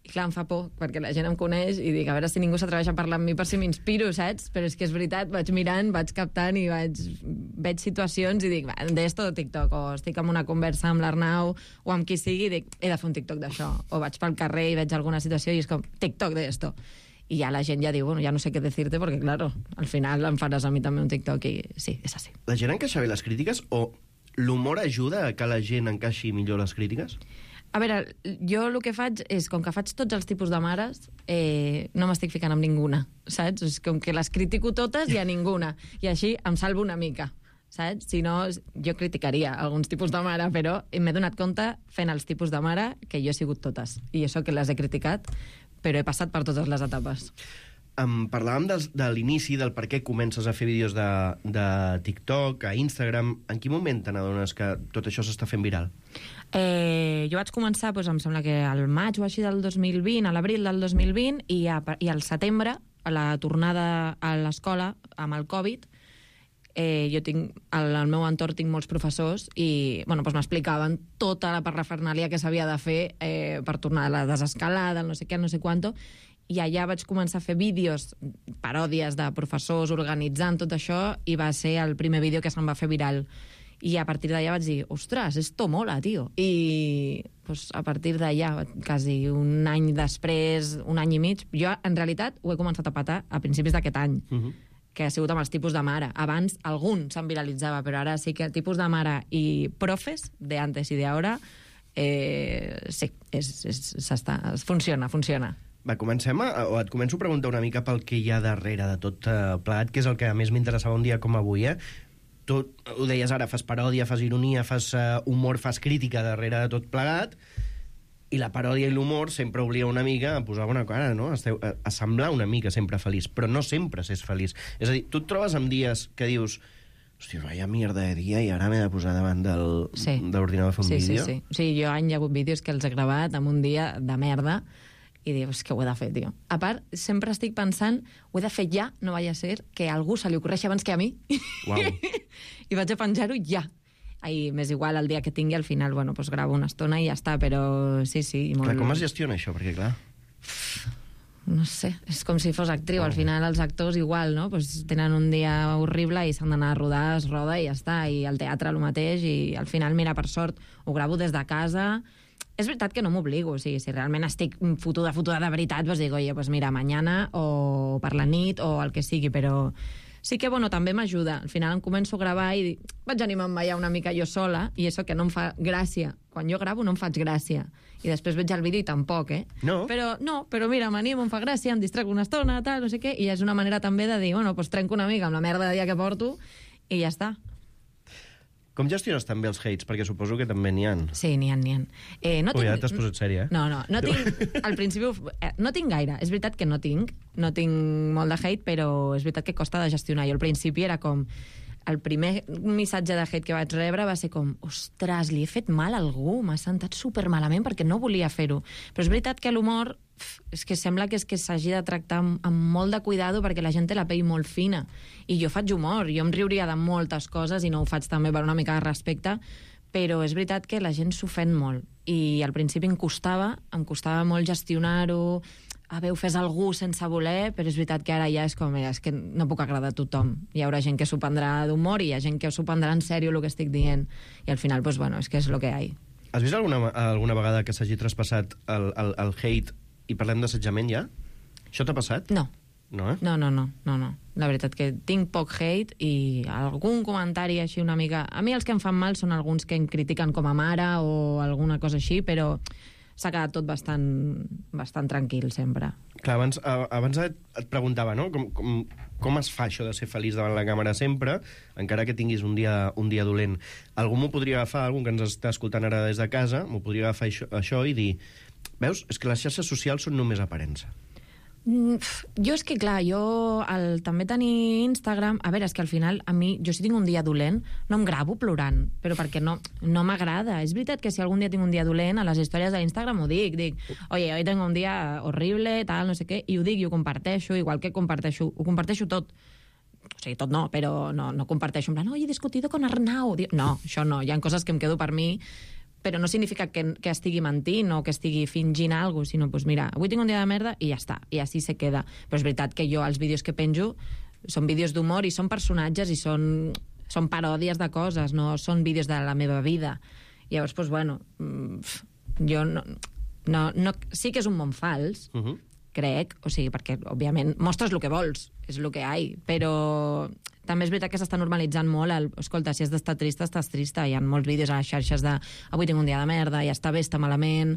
Speaker 10: i clar, em fa por, perquè la gent em coneix i dic, a veure si ningú s'atreveix a parlar amb mi per si m'inspiro, saps? Però és que és veritat, vaig mirant, vaig captant i veig situacions i dic, d'esto de TikTok, o estic en una conversa amb l'Arnau o amb qui sigui i dic, he de fer un TikTok d'això. O vaig pel carrer i veig alguna situació i és com, TikTok d'esto. I ja la gent ja diu, bueno, ja no sé què dir-te, perquè, claro, al final em faràs a mi també un TikTok i sí, és així.
Speaker 2: La gent encaixa bé les crítiques o l'humor ajuda a que la gent encaixi millor les crítiques?
Speaker 10: A veure, jo el que faig és, com que faig tots els tipus de mares, no m'estic ficant amb ninguna, saps? És com que les critico totes i a ninguna. I així em salvo una mica, saps? Si no, jo criticaria alguns tipus de mare, però m'he donat compte fent els tipus de mare que jo he sigut totes. I això que les he criticat, però he passat per totes les etapes.
Speaker 2: Parlàvem de l'inici, del per què comences a fer vídeos de TikTok, a Instagram. En quin moment te n'adones que tot això s'està fent viral?
Speaker 10: Jo vaig començar, doncs, em sembla que al maig o així del 2020, a l'abril del 2020, i al setembre, a la tornada a l'escola, amb el Covid, jo tinc, al meu entorn tinc molts professors i doncs m'explicaven tota la parrafernàlia que s'havia de fer per tornar a la desescalada, el no sé què, no sé quanto, i allà vaig començar a fer vídeos, paròdies de professors organitzant tot això, i va ser el primer vídeo que se'm va fer viral. I a partir d'allà vaig dir, ostres, esto mola, tio. I pues, a partir d'allà, quasi un any després, un any i mig, jo en realitat ho he començat a patar a principis d'aquest any, que ha sigut amb els tipus de mare. Abans algun se'n viralitzava, però ara sí que tipus de mare i profes, de antes i de ahora, sí, funciona.
Speaker 2: Va, comencem o et començo a preguntar una mica pel que hi ha darrere de tot plegat, que és el que a més m'interessava un dia com avui, Tu ho deies ara, fas paròdia, fas ironia, fas humor, fas crítica darrere de tot plegat, i la paròdia i l'humor sempre obliga una mica a posar bona cara, no? A semblar una mica sempre feliç, però no sempre s'és feliç. És a dir, tu et trobes amb dies que dius hòstia, vaya mierda de dia, i ara m'he de posar davant de l'ordinador a fer un vídeo?
Speaker 10: Sí. Sí, jo hi ha hagut vídeos que els he gravat en un dia de merda, i dius, que ho he de fer, tio. A part, sempre estic pensant, ho he de fer ja, no vaya a ser que a algú se li ocorreixi abans que a mi.
Speaker 2: Uau.
Speaker 10: I vaig a penjar-ho ja. I m'és igual el dia que tingui, al final, bueno, pues gravo una estona i ja està, però sí.
Speaker 2: Molt... Clar, com es gestiona això? Perquè, clar...
Speaker 10: No sé, és com si fos actriu. Al final els actors igual, no? Pues tenen un dia horrible i s'han d'anar a rodar, es roda i ja està. I al teatre el mateix, i al final, mira, per sort, ho gravo des de casa. És veritat que no m'obligo, o sigui, si realment estic fotuda de veritat, doncs dic, oye, pues mira, mañana o per la nit o el que sigui, però sí que, bueno, també m'ajuda. Al final em començo a gravar i vaig animant-me ja una mica jo sola, i això que no em fa gràcia. Quan jo gravo no em faig gràcia. I després veig el vídeo i tampoc,
Speaker 2: No?
Speaker 10: Però mira, m'animo, em fa gràcia, em distrec una estona, tal, no sé què, i és una manera també de dir, bueno, pues trenco una mica amb la merda de dia que porto i ja està.
Speaker 2: Com gestiones també els hates? Perquè suposo que també n'hi ha.
Speaker 10: Sí, n'hi ha.
Speaker 2: Ja t'has posat sèria,
Speaker 10: No tinc... Al principi no tinc gaire. És veritat que no tinc molt de hate, però és veritat que costa de gestionar. Jo al principi era com... El primer missatge de hate que vaig rebre va ser com, ostres, li he fet mal a algú, m'ha sentat supermalament perquè no volia fer-ho. Però és veritat que l'humor és que sembla que s'hagi de tractar amb molt de cuidado perquè la gent té la pell molt fina. I jo faig humor, jo em riuria de moltes coses i no ho faig també per una mica de respecte, però és veritat que la gent s'ofèn molt. I al principi em costava molt gestionar-ho, haver ofès algú sense voler, però és veritat que ara ja és com, és que no puc agradar a tothom. Hi haurà gent que s'ho prendrà d'humor i hi ha gent que s'ho prendrà en sèrio el que estic dient. I al final, pues bueno, és que és el que hi ha.
Speaker 2: Has vist alguna vegada que s'hagi traspassat el hate i parlem d'assetjament ja? Això t'ha passat?
Speaker 10: No.
Speaker 2: No,
Speaker 10: No. La veritat que tinc poc hate i algun comentari així una mica... A mi els que em fan mal són alguns que em critiquen com a mare o alguna cosa així, però s'ha quedat tot bastant tranquil sempre.
Speaker 2: Clar, abans et preguntava, no? Com es fa això de ser feliç davant la càmera sempre, encara que tinguis un dia dolent? Algú m'ho podria agafar, algú que ens està escoltant ara des de casa, m'ho podria agafar això i dir, veus, és que les xarxes socials són només aparença.
Speaker 10: Jo és que, clar, també tenir Instagram... A veure, és que al final, a mi, jo si tinc un dia dolent, no em gravo plorant, però perquè no m'agrada. És veritat que si algun dia tinc un dia dolent, a les històries d'Instagram ho dic, oye, hoy tengo un dia horrible, tal, no sé què, i ho dic i ho comparteixo, igual que ho comparteixo tot. O sigui, tot no, però no comparteixo en plan, he discutido con Arnau. No, això no, hi ha coses que em quedo per mi, però no significa que estigui mentint o que estigui fingint alguna cosa, sinó, pues mira, avui tinc un dia de merda i ja està, i així se queda. Però és veritat que jo, els vídeos que penjo, són vídeos d'humor i són personatges i són paròdies de coses, no són vídeos de la meva vida. Llavors, pues bueno, jo no sí que és un món fals, crec, o sigui, perquè, òbviament, mostres el que vols, és el que hi ha, però també és veritat que s'està normalitzant molt escolta, si has d'estar trista, estàs trista. Hi ha molts vídeos a les xarxes de avui tinc un dia de merda, ja està bé, està malament,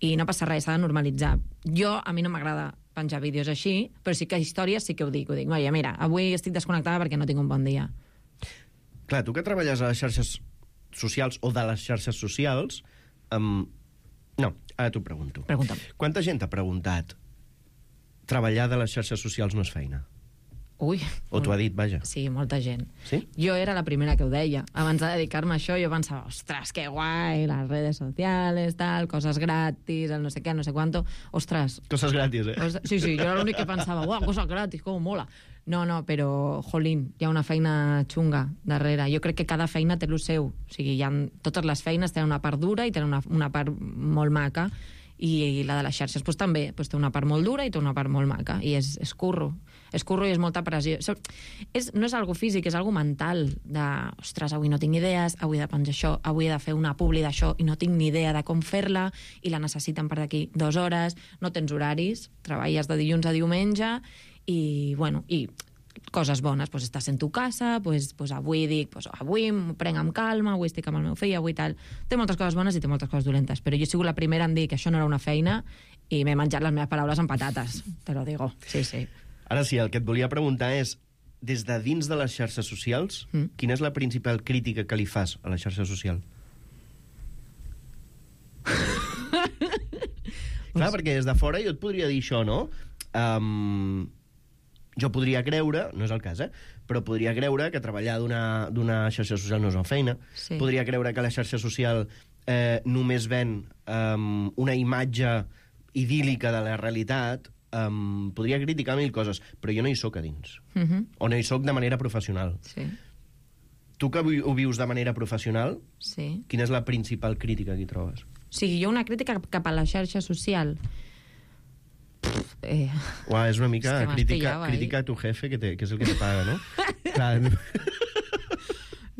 Speaker 10: i no passa res, s'ha de normalitzar. A mi no m'agrada penjar vídeos així, però sí que històries sí que ho dic. Oye, mira, avui estic desconnectada perquè no tinc un bon dia.
Speaker 2: Clar, tu que treballes a les xarxes socials o de les xarxes socials... No, ara t'ho pregunto.
Speaker 10: Pregunta'm.
Speaker 2: Quanta gent t'ha preguntat treballar de les xarxes socials no és feina?
Speaker 10: Ui.
Speaker 2: O t'ho ha dit, vaja.
Speaker 10: Sí, molta gent.
Speaker 2: Sí?
Speaker 10: Jo era la primera que ho deia. Abans de dedicar-me a això, jo pensava, ostres, que guai, les redes sociales, tal, coses gratis, el no sé què, no sé quanto. Ostres.
Speaker 2: Coses gratis,
Speaker 10: Sí, jo era l'únic que pensava, uau, coses gratis, com mola. No, però, jolín, hi ha una feina xunga darrere. Jo crec que cada feina té el seu. O sigui, totes les feines tenen una part dura i tenen una part molt maca. I la de les xarxes pues, també pues, té una part molt dura i té una part molt maca, i és curro i és molta pressió. No és algo físic, és algo mental, de, ostres, avui no tinc idees, avui he de penjar això, avui he de fer una publi d'això i no tinc ni idea de com fer-la, i la necessiten per d'aquí 2 hores, no tens horaris, treballes de dilluns a diumenge, i, bueno, i coses bones, pues estàs en tu casa, pues avui dic, pues avui m'ho prenc amb calma, avui estic amb el meu fill, avui tal. Té moltes coses bones i té moltes coses dolentes, però jo he sigut la primera en dir que això no era una feina i m'he menjat les meves paraules amb patates, te lo digo, sí.
Speaker 2: Ara sí, el que et volia preguntar és, des de dins de les xarxes socials, quina és la principal crítica que li fas a la xarxa social? Clar, perquè des de fora jo et podria dir això, no? Jo podria creure, no és el cas, però podria creure que treballar d'una xarxa social no és una feina. Sí. Podria creure que la xarxa social només ven una imatge idíl·lica de la realitat. Podria criticar 1000 coses, però jo no hi soc a dins. O no hi soc de manera professional.
Speaker 10: Sí.
Speaker 2: Tu que ho vius de manera professional,
Speaker 10: sí.
Speaker 2: Quina és la principal crítica que hi trobes?
Speaker 10: O sigui, jo una crítica cap a la xarxa social...
Speaker 2: És una mica crítica a tu jefe, que és el que te paga, no? Clar.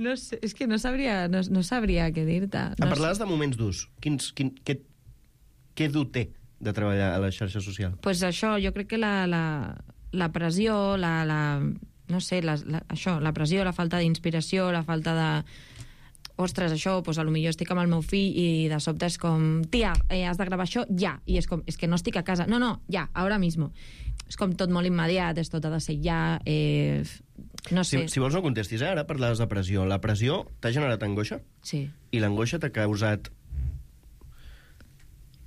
Speaker 10: No sé, és que no sabria què dir-te.
Speaker 2: Em parlaves de moments durs. Què dur té de treballar a la xarxa social?
Speaker 10: Pues això, jo crec que la pressió, no sé, això, la pressió, la falta d'inspiració, la falta de... Ostres, això, doncs potser estic amb el meu fill i de sobte és com, tia, has de gravar això ja. I és com, és que no estic a casa. No, ja, ara mismo. És com tot molt immediat, és tot ha de ser ja... No sé.
Speaker 2: Si vols no contestis, ara parlaves de pressió. La pressió t'ha generat angoixa?
Speaker 10: Sí.
Speaker 2: I l'angoixa t'ha causat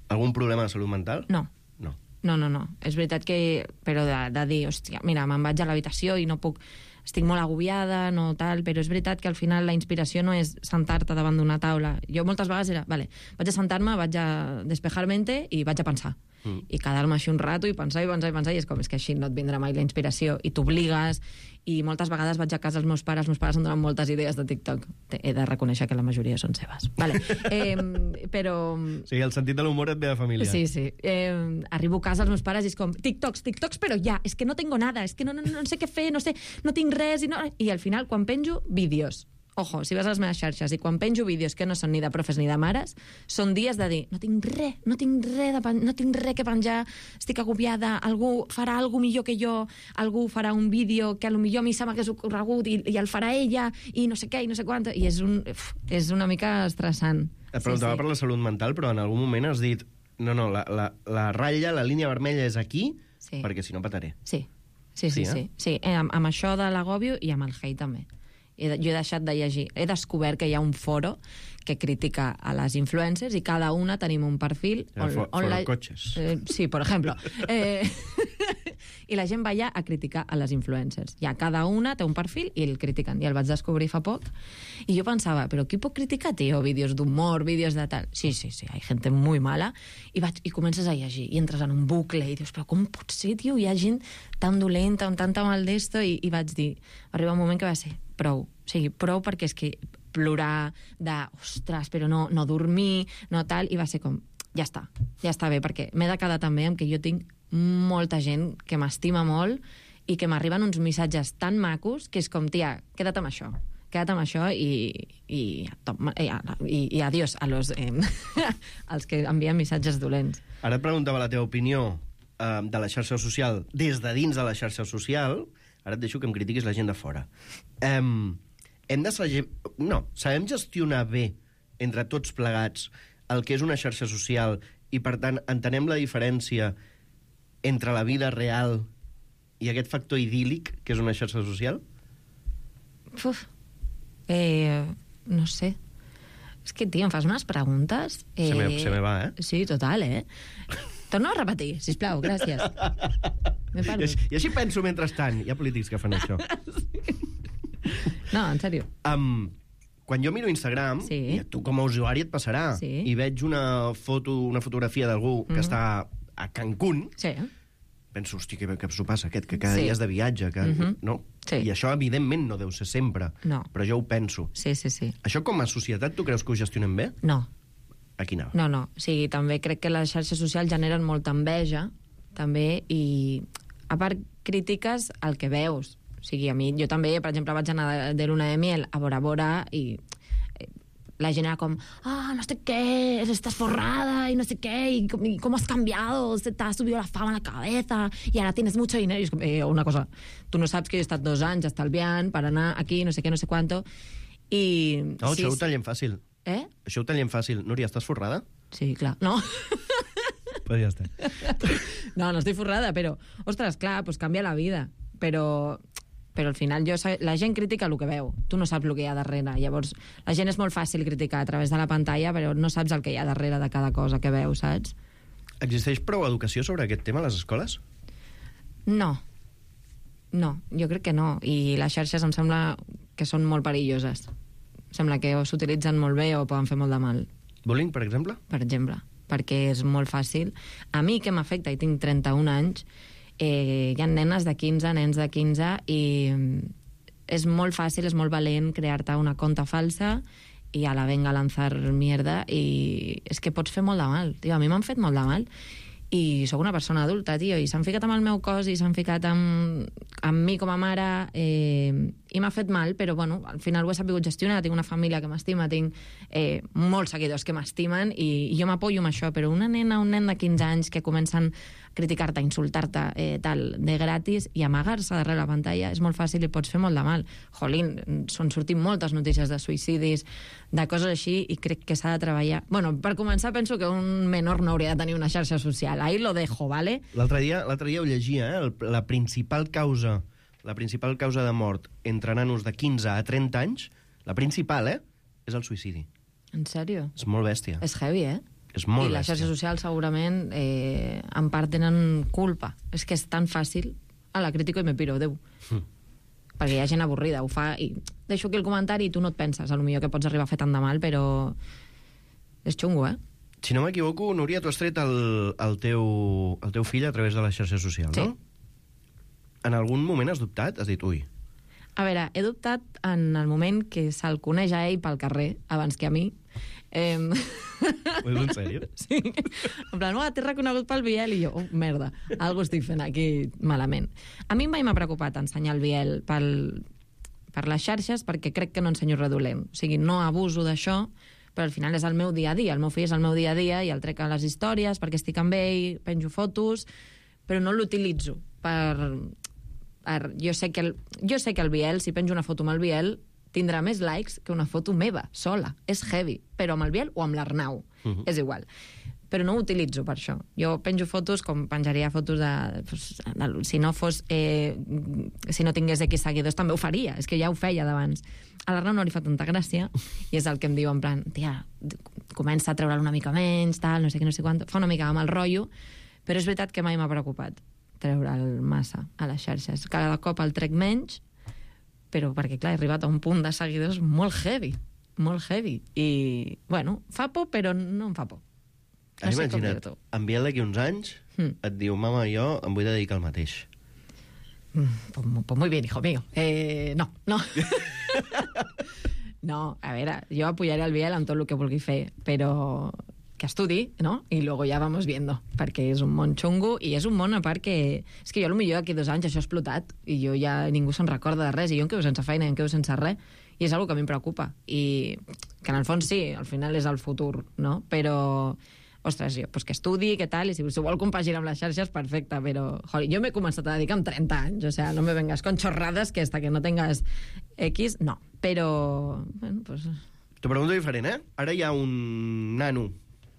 Speaker 2: algun problema de salut mental?
Speaker 10: No. És veritat que... Però de dir, hòstia, mira, me'n vaig a l'habitació i no puc... Estic molt agobiada, no tal, però és veritat que al final la inspiració no és sentar-te davant d'una taula. Jo moltes vegades era, vale, vaig a sentar-me, vaig a despejar-mente i vaig a pensar. I quedar-me així un rato i pensar, i és com, és que així no et vindrà mai la inspiració, i t'obligues, i moltes vegades vaig a casa als meus pares em donen moltes idees de TikTok. He de reconèixer que la majoria són seves. Vale. Però...
Speaker 2: Sí, el sentit de l'humor et ve de família.
Speaker 10: Sí. Arribo a casa als meus pares i és com, TikToks, però ja, és que no tengo nada, és que no sé què fer, no tinc res, i al final, quan penjo, vídeos. Ojo, si vas a les meves xarxes i quan penjo vídeos que no són ni de profes ni de mares, són dies de dir, no tinc res que penjar, estic agobiada, algú farà alguna millor que jo, algú farà un vídeo que potser a mi se m'hagués ocorregut i el farà ella, i no sé què, i no sé quant, i és una mica estressant.
Speaker 2: Et preguntava per la salut mental, però en algun moment has dit, no, la ratlla, la línia vermella és aquí, perquè si no pataré.
Speaker 10: Sí, amb això de l'agòbio i amb el hate també. Jo he deixat de llegir. He descobert que hi ha un foro que critica a les influencers i cada una tenim un perfil...
Speaker 2: Foro cotxes.
Speaker 10: Sí, per exemple. I la gent va allà a criticar a les influencers. Ja cada una té un perfil i el critiquen. I el vaig descobrir fa poc. I jo pensava, però qui pot criticar, tio? Vídeos d'humor, vídeos de tal... Sí, hay gente muy mala. I comences a llegir. I entres en un bucle i dius, però com pot ser, tio? Hi ha gent tan dolenta, amb tanta mal d'esto. I vaig dir, arriba un moment que va ser prou. O sigui, prou perquè és que plorar de, ostres, però no dormir, no tal, i va ser com, ja està bé, perquè m'he de quedar també amb que jo tinc molta gent que m'estima molt i que m'arriben uns missatges tan macos que és com, tia, queda't amb això i adiós a los als que envien missatges dolents.
Speaker 2: Ara et preguntava la teva opinió de la xarxa social des de dins de la xarxa social. Ara et deixo que em critiquis la gent de fora. Sabem gestionar bé entre tots plegats el que és una xarxa social i, per tant, entenem la diferència entre la vida real i aquest factor idíl·lic que és una xarxa social?
Speaker 10: No sé. És que, tio, em fas unes preguntes...
Speaker 2: Se me va,
Speaker 10: Sí, total, Torna a repetir, sisplau, gràcies.
Speaker 2: I així penso mentrestant. Hi ha polítics que fan això.
Speaker 10: No, en sèrio.
Speaker 2: Quan jo miro Instagram, i a tu com a usuari et passarà, i veig una fotografia d'algú que està a Cancún, penso, hosti, què s'ho passa aquest, que cada dia és de viatge, no? I això, evidentment, no deu ser sempre, però jo ho penso.
Speaker 10: Sí.
Speaker 2: Això, com a societat, tu creus que ho gestionem bé?
Speaker 10: No.
Speaker 2: Aquí anava.
Speaker 10: No, o sigui, també crec que les xarxes socials generen molta enveja, també, i a part crítiques el que veus. O sigui, a mi, jo també, per exemple, vaig anar de luna de miel a Bora Bora i la gent era com, no sé qué, estás forrada y no sé qué, y cómo has cambiado, se te ha subido la fama a la cabeza y ahora tienes mucho dinero. I és com, una cosa, tu no saps que jo he estat 2 anys estalviant per anar aquí, no sé què, no sé quanto, i...
Speaker 2: No, això ho tallem fàcil. Això ho tallem fàcil. Núria, estàs forrada?
Speaker 10: Sí, clar. No?
Speaker 2: Pues ja està.
Speaker 10: No estic forrada, però, ostres, clar, pues canvia la vida. Però al final la gent critica el que veu. Tu no saps el que hi ha darrere. Llavors, la gent és molt fàcil criticar a través de la pantalla, però no saps el que hi ha darrere de cada cosa que veus, saps?
Speaker 2: Existeix prou educació sobre aquest tema a les escoles?
Speaker 10: No, jo crec que no. I les xarxes em sembla que són molt perilloses. Sembla que o s'utilitzen molt bé o poden fer molt de mal.
Speaker 2: Bullying, per exemple?
Speaker 10: Per exemple, perquè és molt fàcil. A mi, que m'afecta, i tinc 31 anys, hi ha nenes de 15, nens de 15, i és molt fàcil, és molt valent crear-te una conta falsa i a la venga lanzar mierda, i és que pots fer molt de mal. Tio, a mi m'han fet molt de mal. I sóc una persona adulta, tio, i s'han ficat amb el meu cos i s'han ficat amb mi com a mare, i m'ha fet mal, però bueno, al final ho he sabut gestionar. Tinc una família que m'estima, tinc molts seguidors que m'estimen, i jo m'apoyo amb això, però una nena, un nen de 15 anys que comencen a criticar-te, insultar-te, tal, de gratis, i amagar-se darrere la pantalla, és molt fàcil i pots fer molt de mal. Jolín, són sortint moltes notícies de suïcidis, de coses així, i crec que s'ha de treballar. Bueno, per començar, penso que un menor no hauria de tenir una xarxa social. Ahí lo dejo, ¿vale?
Speaker 2: L'altre dia ho llegia, la principal causa de mort entre nanos de 15 a 30 anys, la principal, és el suïcidi.
Speaker 10: En sèrio?
Speaker 2: És molt bèstia.
Speaker 10: És heavy,
Speaker 2: És molt
Speaker 10: bèstia. I les xarxes socials segurament en part tenen culpa. És que és tan fàcil. La critico i me piro, adeu. Perquè hi ha gent avorrida, ho fa, i deixo aquí el comentari i tu no et penses, potser que pots arribar a fer tant de mal, però és xungo,
Speaker 2: Si no m'equivoco, Núria, tu has tret el teu fill a través de les xarxes socials, no?
Speaker 10: Sí.
Speaker 2: En algun moment has dubtat? Has dit, ui...
Speaker 10: A veure, he dubtat en el moment que se'l coneix a ell pel carrer, abans que a mi.
Speaker 2: Ho dius en sèrio?
Speaker 10: Sí. En plan, t'he reconegut pel Biel, i jo, merda, algo estic fent aquí malament. A mi mai m'ha preocupat ensenyar el Biel per les xarxes, perquè crec que no ensenyo res dolent. O sigui, no abuso d'això, però al final és el meu dia a dia. El meu fill és el meu dia a dia i el trec a les històries perquè estic amb ell, penjo fotos, però no l'utilitzo per... Jo sé que el Biel, si penjo una foto amb el Biel, tindrà més likes que una foto meva, sola. És heavy, però amb el Biel o amb l'Arnau. És igual. Però no ho utilitzo per això. Jo penjo fotos com penjaria fotos si no tingués X seguidors també ho faria, és que ja ho feia d'abans. A l'Arnau no li fa tanta gràcia i és el que em diu en plan, tia, comença a treure'l una mica menys, tal, no sé què, no sé quant, fa una mica amb el rotllo, però és veritat que mai m'ha preocupat treure'l massa a les xarxes. Cada cop el trec menys, però perquè, clar, he arribat a un punt de seguidors molt heavy. I, bueno, fa por, però no em fa por.
Speaker 2: No sé imagina't, en Biel d'aquí uns anys et diu, mama, jo em vull dedicar al mateix.
Speaker 10: Pues muy bien, hijo mío. No. No, a veure, jo apoyaré el Biel en tot el que vulgui fer, però que estudi, ¿no? I luego ja vamos viendo, perquè és un món xungo i és un món a part que... És que jo potser d'aquí 2 anys això ha explotat i jo ja ningú se'n recorda de res i jo em quedo sense feina i em quedo sense res i és una que a mi em preocupa i que en el fons sí, al final és el futur, no? Però, ostres, pues que estudi, què tal, i si vol compaginar amb les xarxes, perfecte, però joder, jo m'he començat a dedicar amb 30 anys, o sea, no me vengas con chorradas que hasta que no tengas X, no, però, bueno, pues...
Speaker 2: T'ho pregunto diferent, Ara hi ha un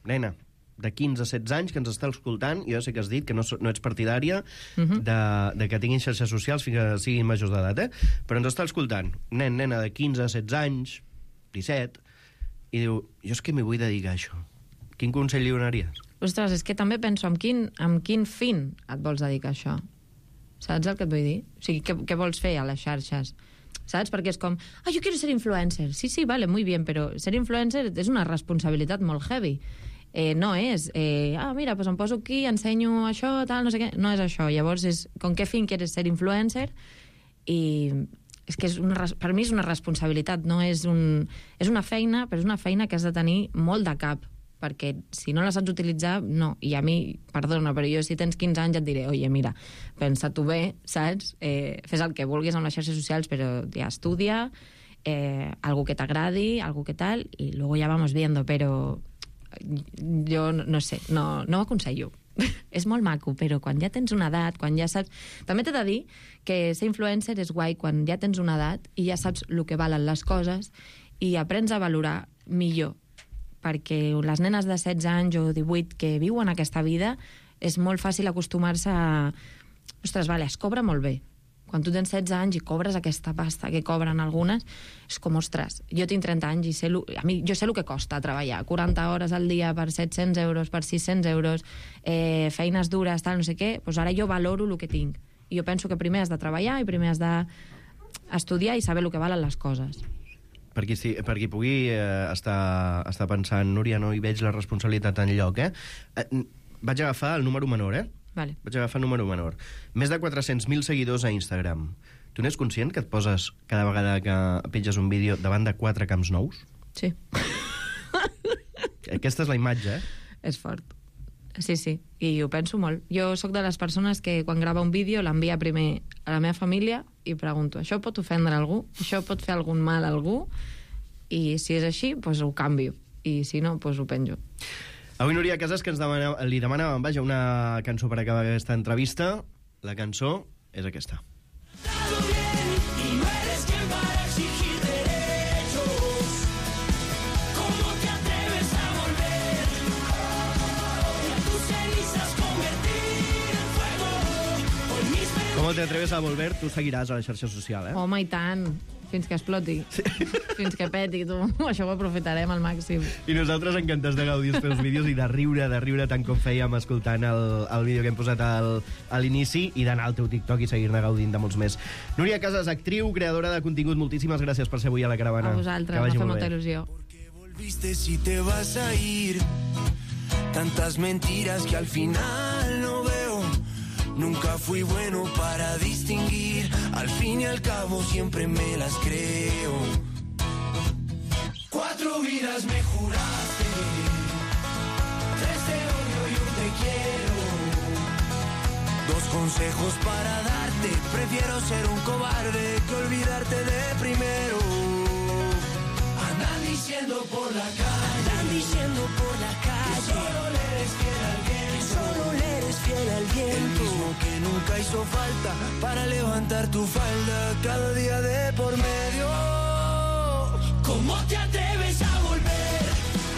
Speaker 2: nena de 15 a 16 anys que ens està escoltant, jo sé que has dit que no ets partidària de que tinguin xarxes socials fins que siguin majors d'edat, però ens està escoltant nena de 15 a 16 anys, 17, i diu, jo és que m'hi vull dedicar a això. Quin consell li donaries?
Speaker 10: Ostres, és que també penso amb quin fin et vols dedicar a això. Saps el que et vull dir? O sigui, què vols fer a les xarxes? Saps? Perquè és com, yo quiero ser influencer. Sí, vale, muy bien, però ser influencer és una responsabilitat molt heavy. No és, mira, pues em poso aquí, ensenyo això, tal, no sé què. No és això. Llavors, és con qué fin quieres ser influencer? I és que per mi és una responsabilitat, no és una feina, però és una feina que has de tenir molt de cap. perquè si no la saps utilitzar, no. I a mi, perdona, però jo si tens 15 anys et diré, oye, mira, pensa-t'ho bé, saps? Fes el que vulguis amb les xarxes socials, però ja estudia, algo que t'agradi, algo que tal, i luego ya vamos viendo, però jo no sé, no ho aconsello. És molt maco, però quan ja tens una edat, quan ja saps... També t'he de dir que ser influencer és guai quan ja tens una edat i ja saps el que valen les coses i aprens a valorar millor, perquè les nenes de 16 anys o 18 que viuen aquesta vida és molt fàcil acostumar-se a... Ostres, vale, es cobra molt bé. Quan tu tens 16 anys i cobres aquesta pasta que cobren algunes, és com, ostres, jo tinc 30 anys i jo sé el que costa treballar. 40 hores al dia per 700 euros, per 600 euros, feines dures, tal, no sé què, doncs ara jo valoro el que tinc. I jo penso que primer has de treballar i primer has d'estudiar i saber el que valen les coses.
Speaker 2: Per qui pugui estar pensant, Núria, no hi veig la responsabilitat enlloc, Vaig agafar el número menor,
Speaker 10: Vale.
Speaker 2: Vaig agafar el número menor. Més de 400.000 seguidors a Instagram. Tu n'és conscient que et poses cada vegada que penges un vídeo davant de 4 camps nous?
Speaker 10: Sí.
Speaker 2: Aquesta és la imatge,
Speaker 10: És fort. Sí, i ho penso molt. Jo sóc de les persones que quan grava un vídeo l'envia primer a la meva família i pregunto, això pot ofendre algú? Això pot fer algun mal a algú? I si és així, doncs ho canvio. I si no, doncs ho penjo.
Speaker 2: Avui Núria Casas, que li demanàvem, vaja, una cançó per acabar aquesta entrevista. La cançó és aquesta. Com te atreves a volver, tu seguiràs a la xarxa social,
Speaker 10: Home, i tant. Fins que exploti. Sí. Fins que peti, tu. Això ho aprofitarem al màxim.
Speaker 2: I nosaltres encantats de gaudir els teus vídeos i de riure tant com fèiem escoltant el vídeo que hem posat a l'inici i d'anar al teu TikTok i seguir-ne gaudint de molts més. Núria Casas, actriu, creadora de contingut, moltíssimes gràcies per ser avui a la Caravana.
Speaker 10: A vosaltres, m'ha fet molta il·lusió.
Speaker 11: Porque volviste si te vas a ir. Tantas mentiras que al final no veo. Nunca fui bueno para distinguir. Al fin y al cabo siempre me las creo. 4 vidas me juraste, 3 te odio y 1 te quiero. 2 consejos para darte. Prefiero ser un cobarde que olvidarte de primero. Andan diciendo por la calle, que solo le eres fiel al viento. Solo le eres fiel al viento. El mismo que nunca hizo falta para levantar tu falda cada día de por medio. ¿Cómo te atreves a volver?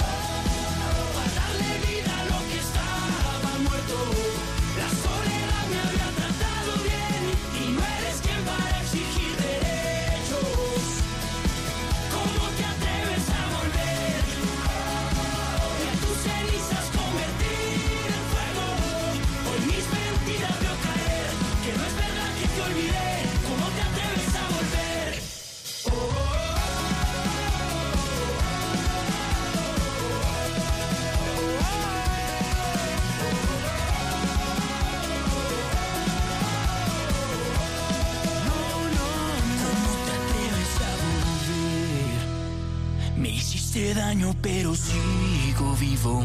Speaker 11: A darle vida a lo que estaba muerto. La soledad me había tratado bien y no eres quien para exigir derechos. ¿Cómo te atreves a volver? Y a tus cenizas convertir en fuego. Hoy mis mentiras veo caer, que no es verdad que te olvidé. ¿Cómo te atreves a volver? Me hiciste daño pero sigo vivo.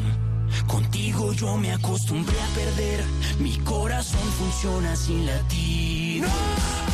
Speaker 11: Contigo yo me acostumbré a perder. Mi corazón funciona sin latir. ¡No!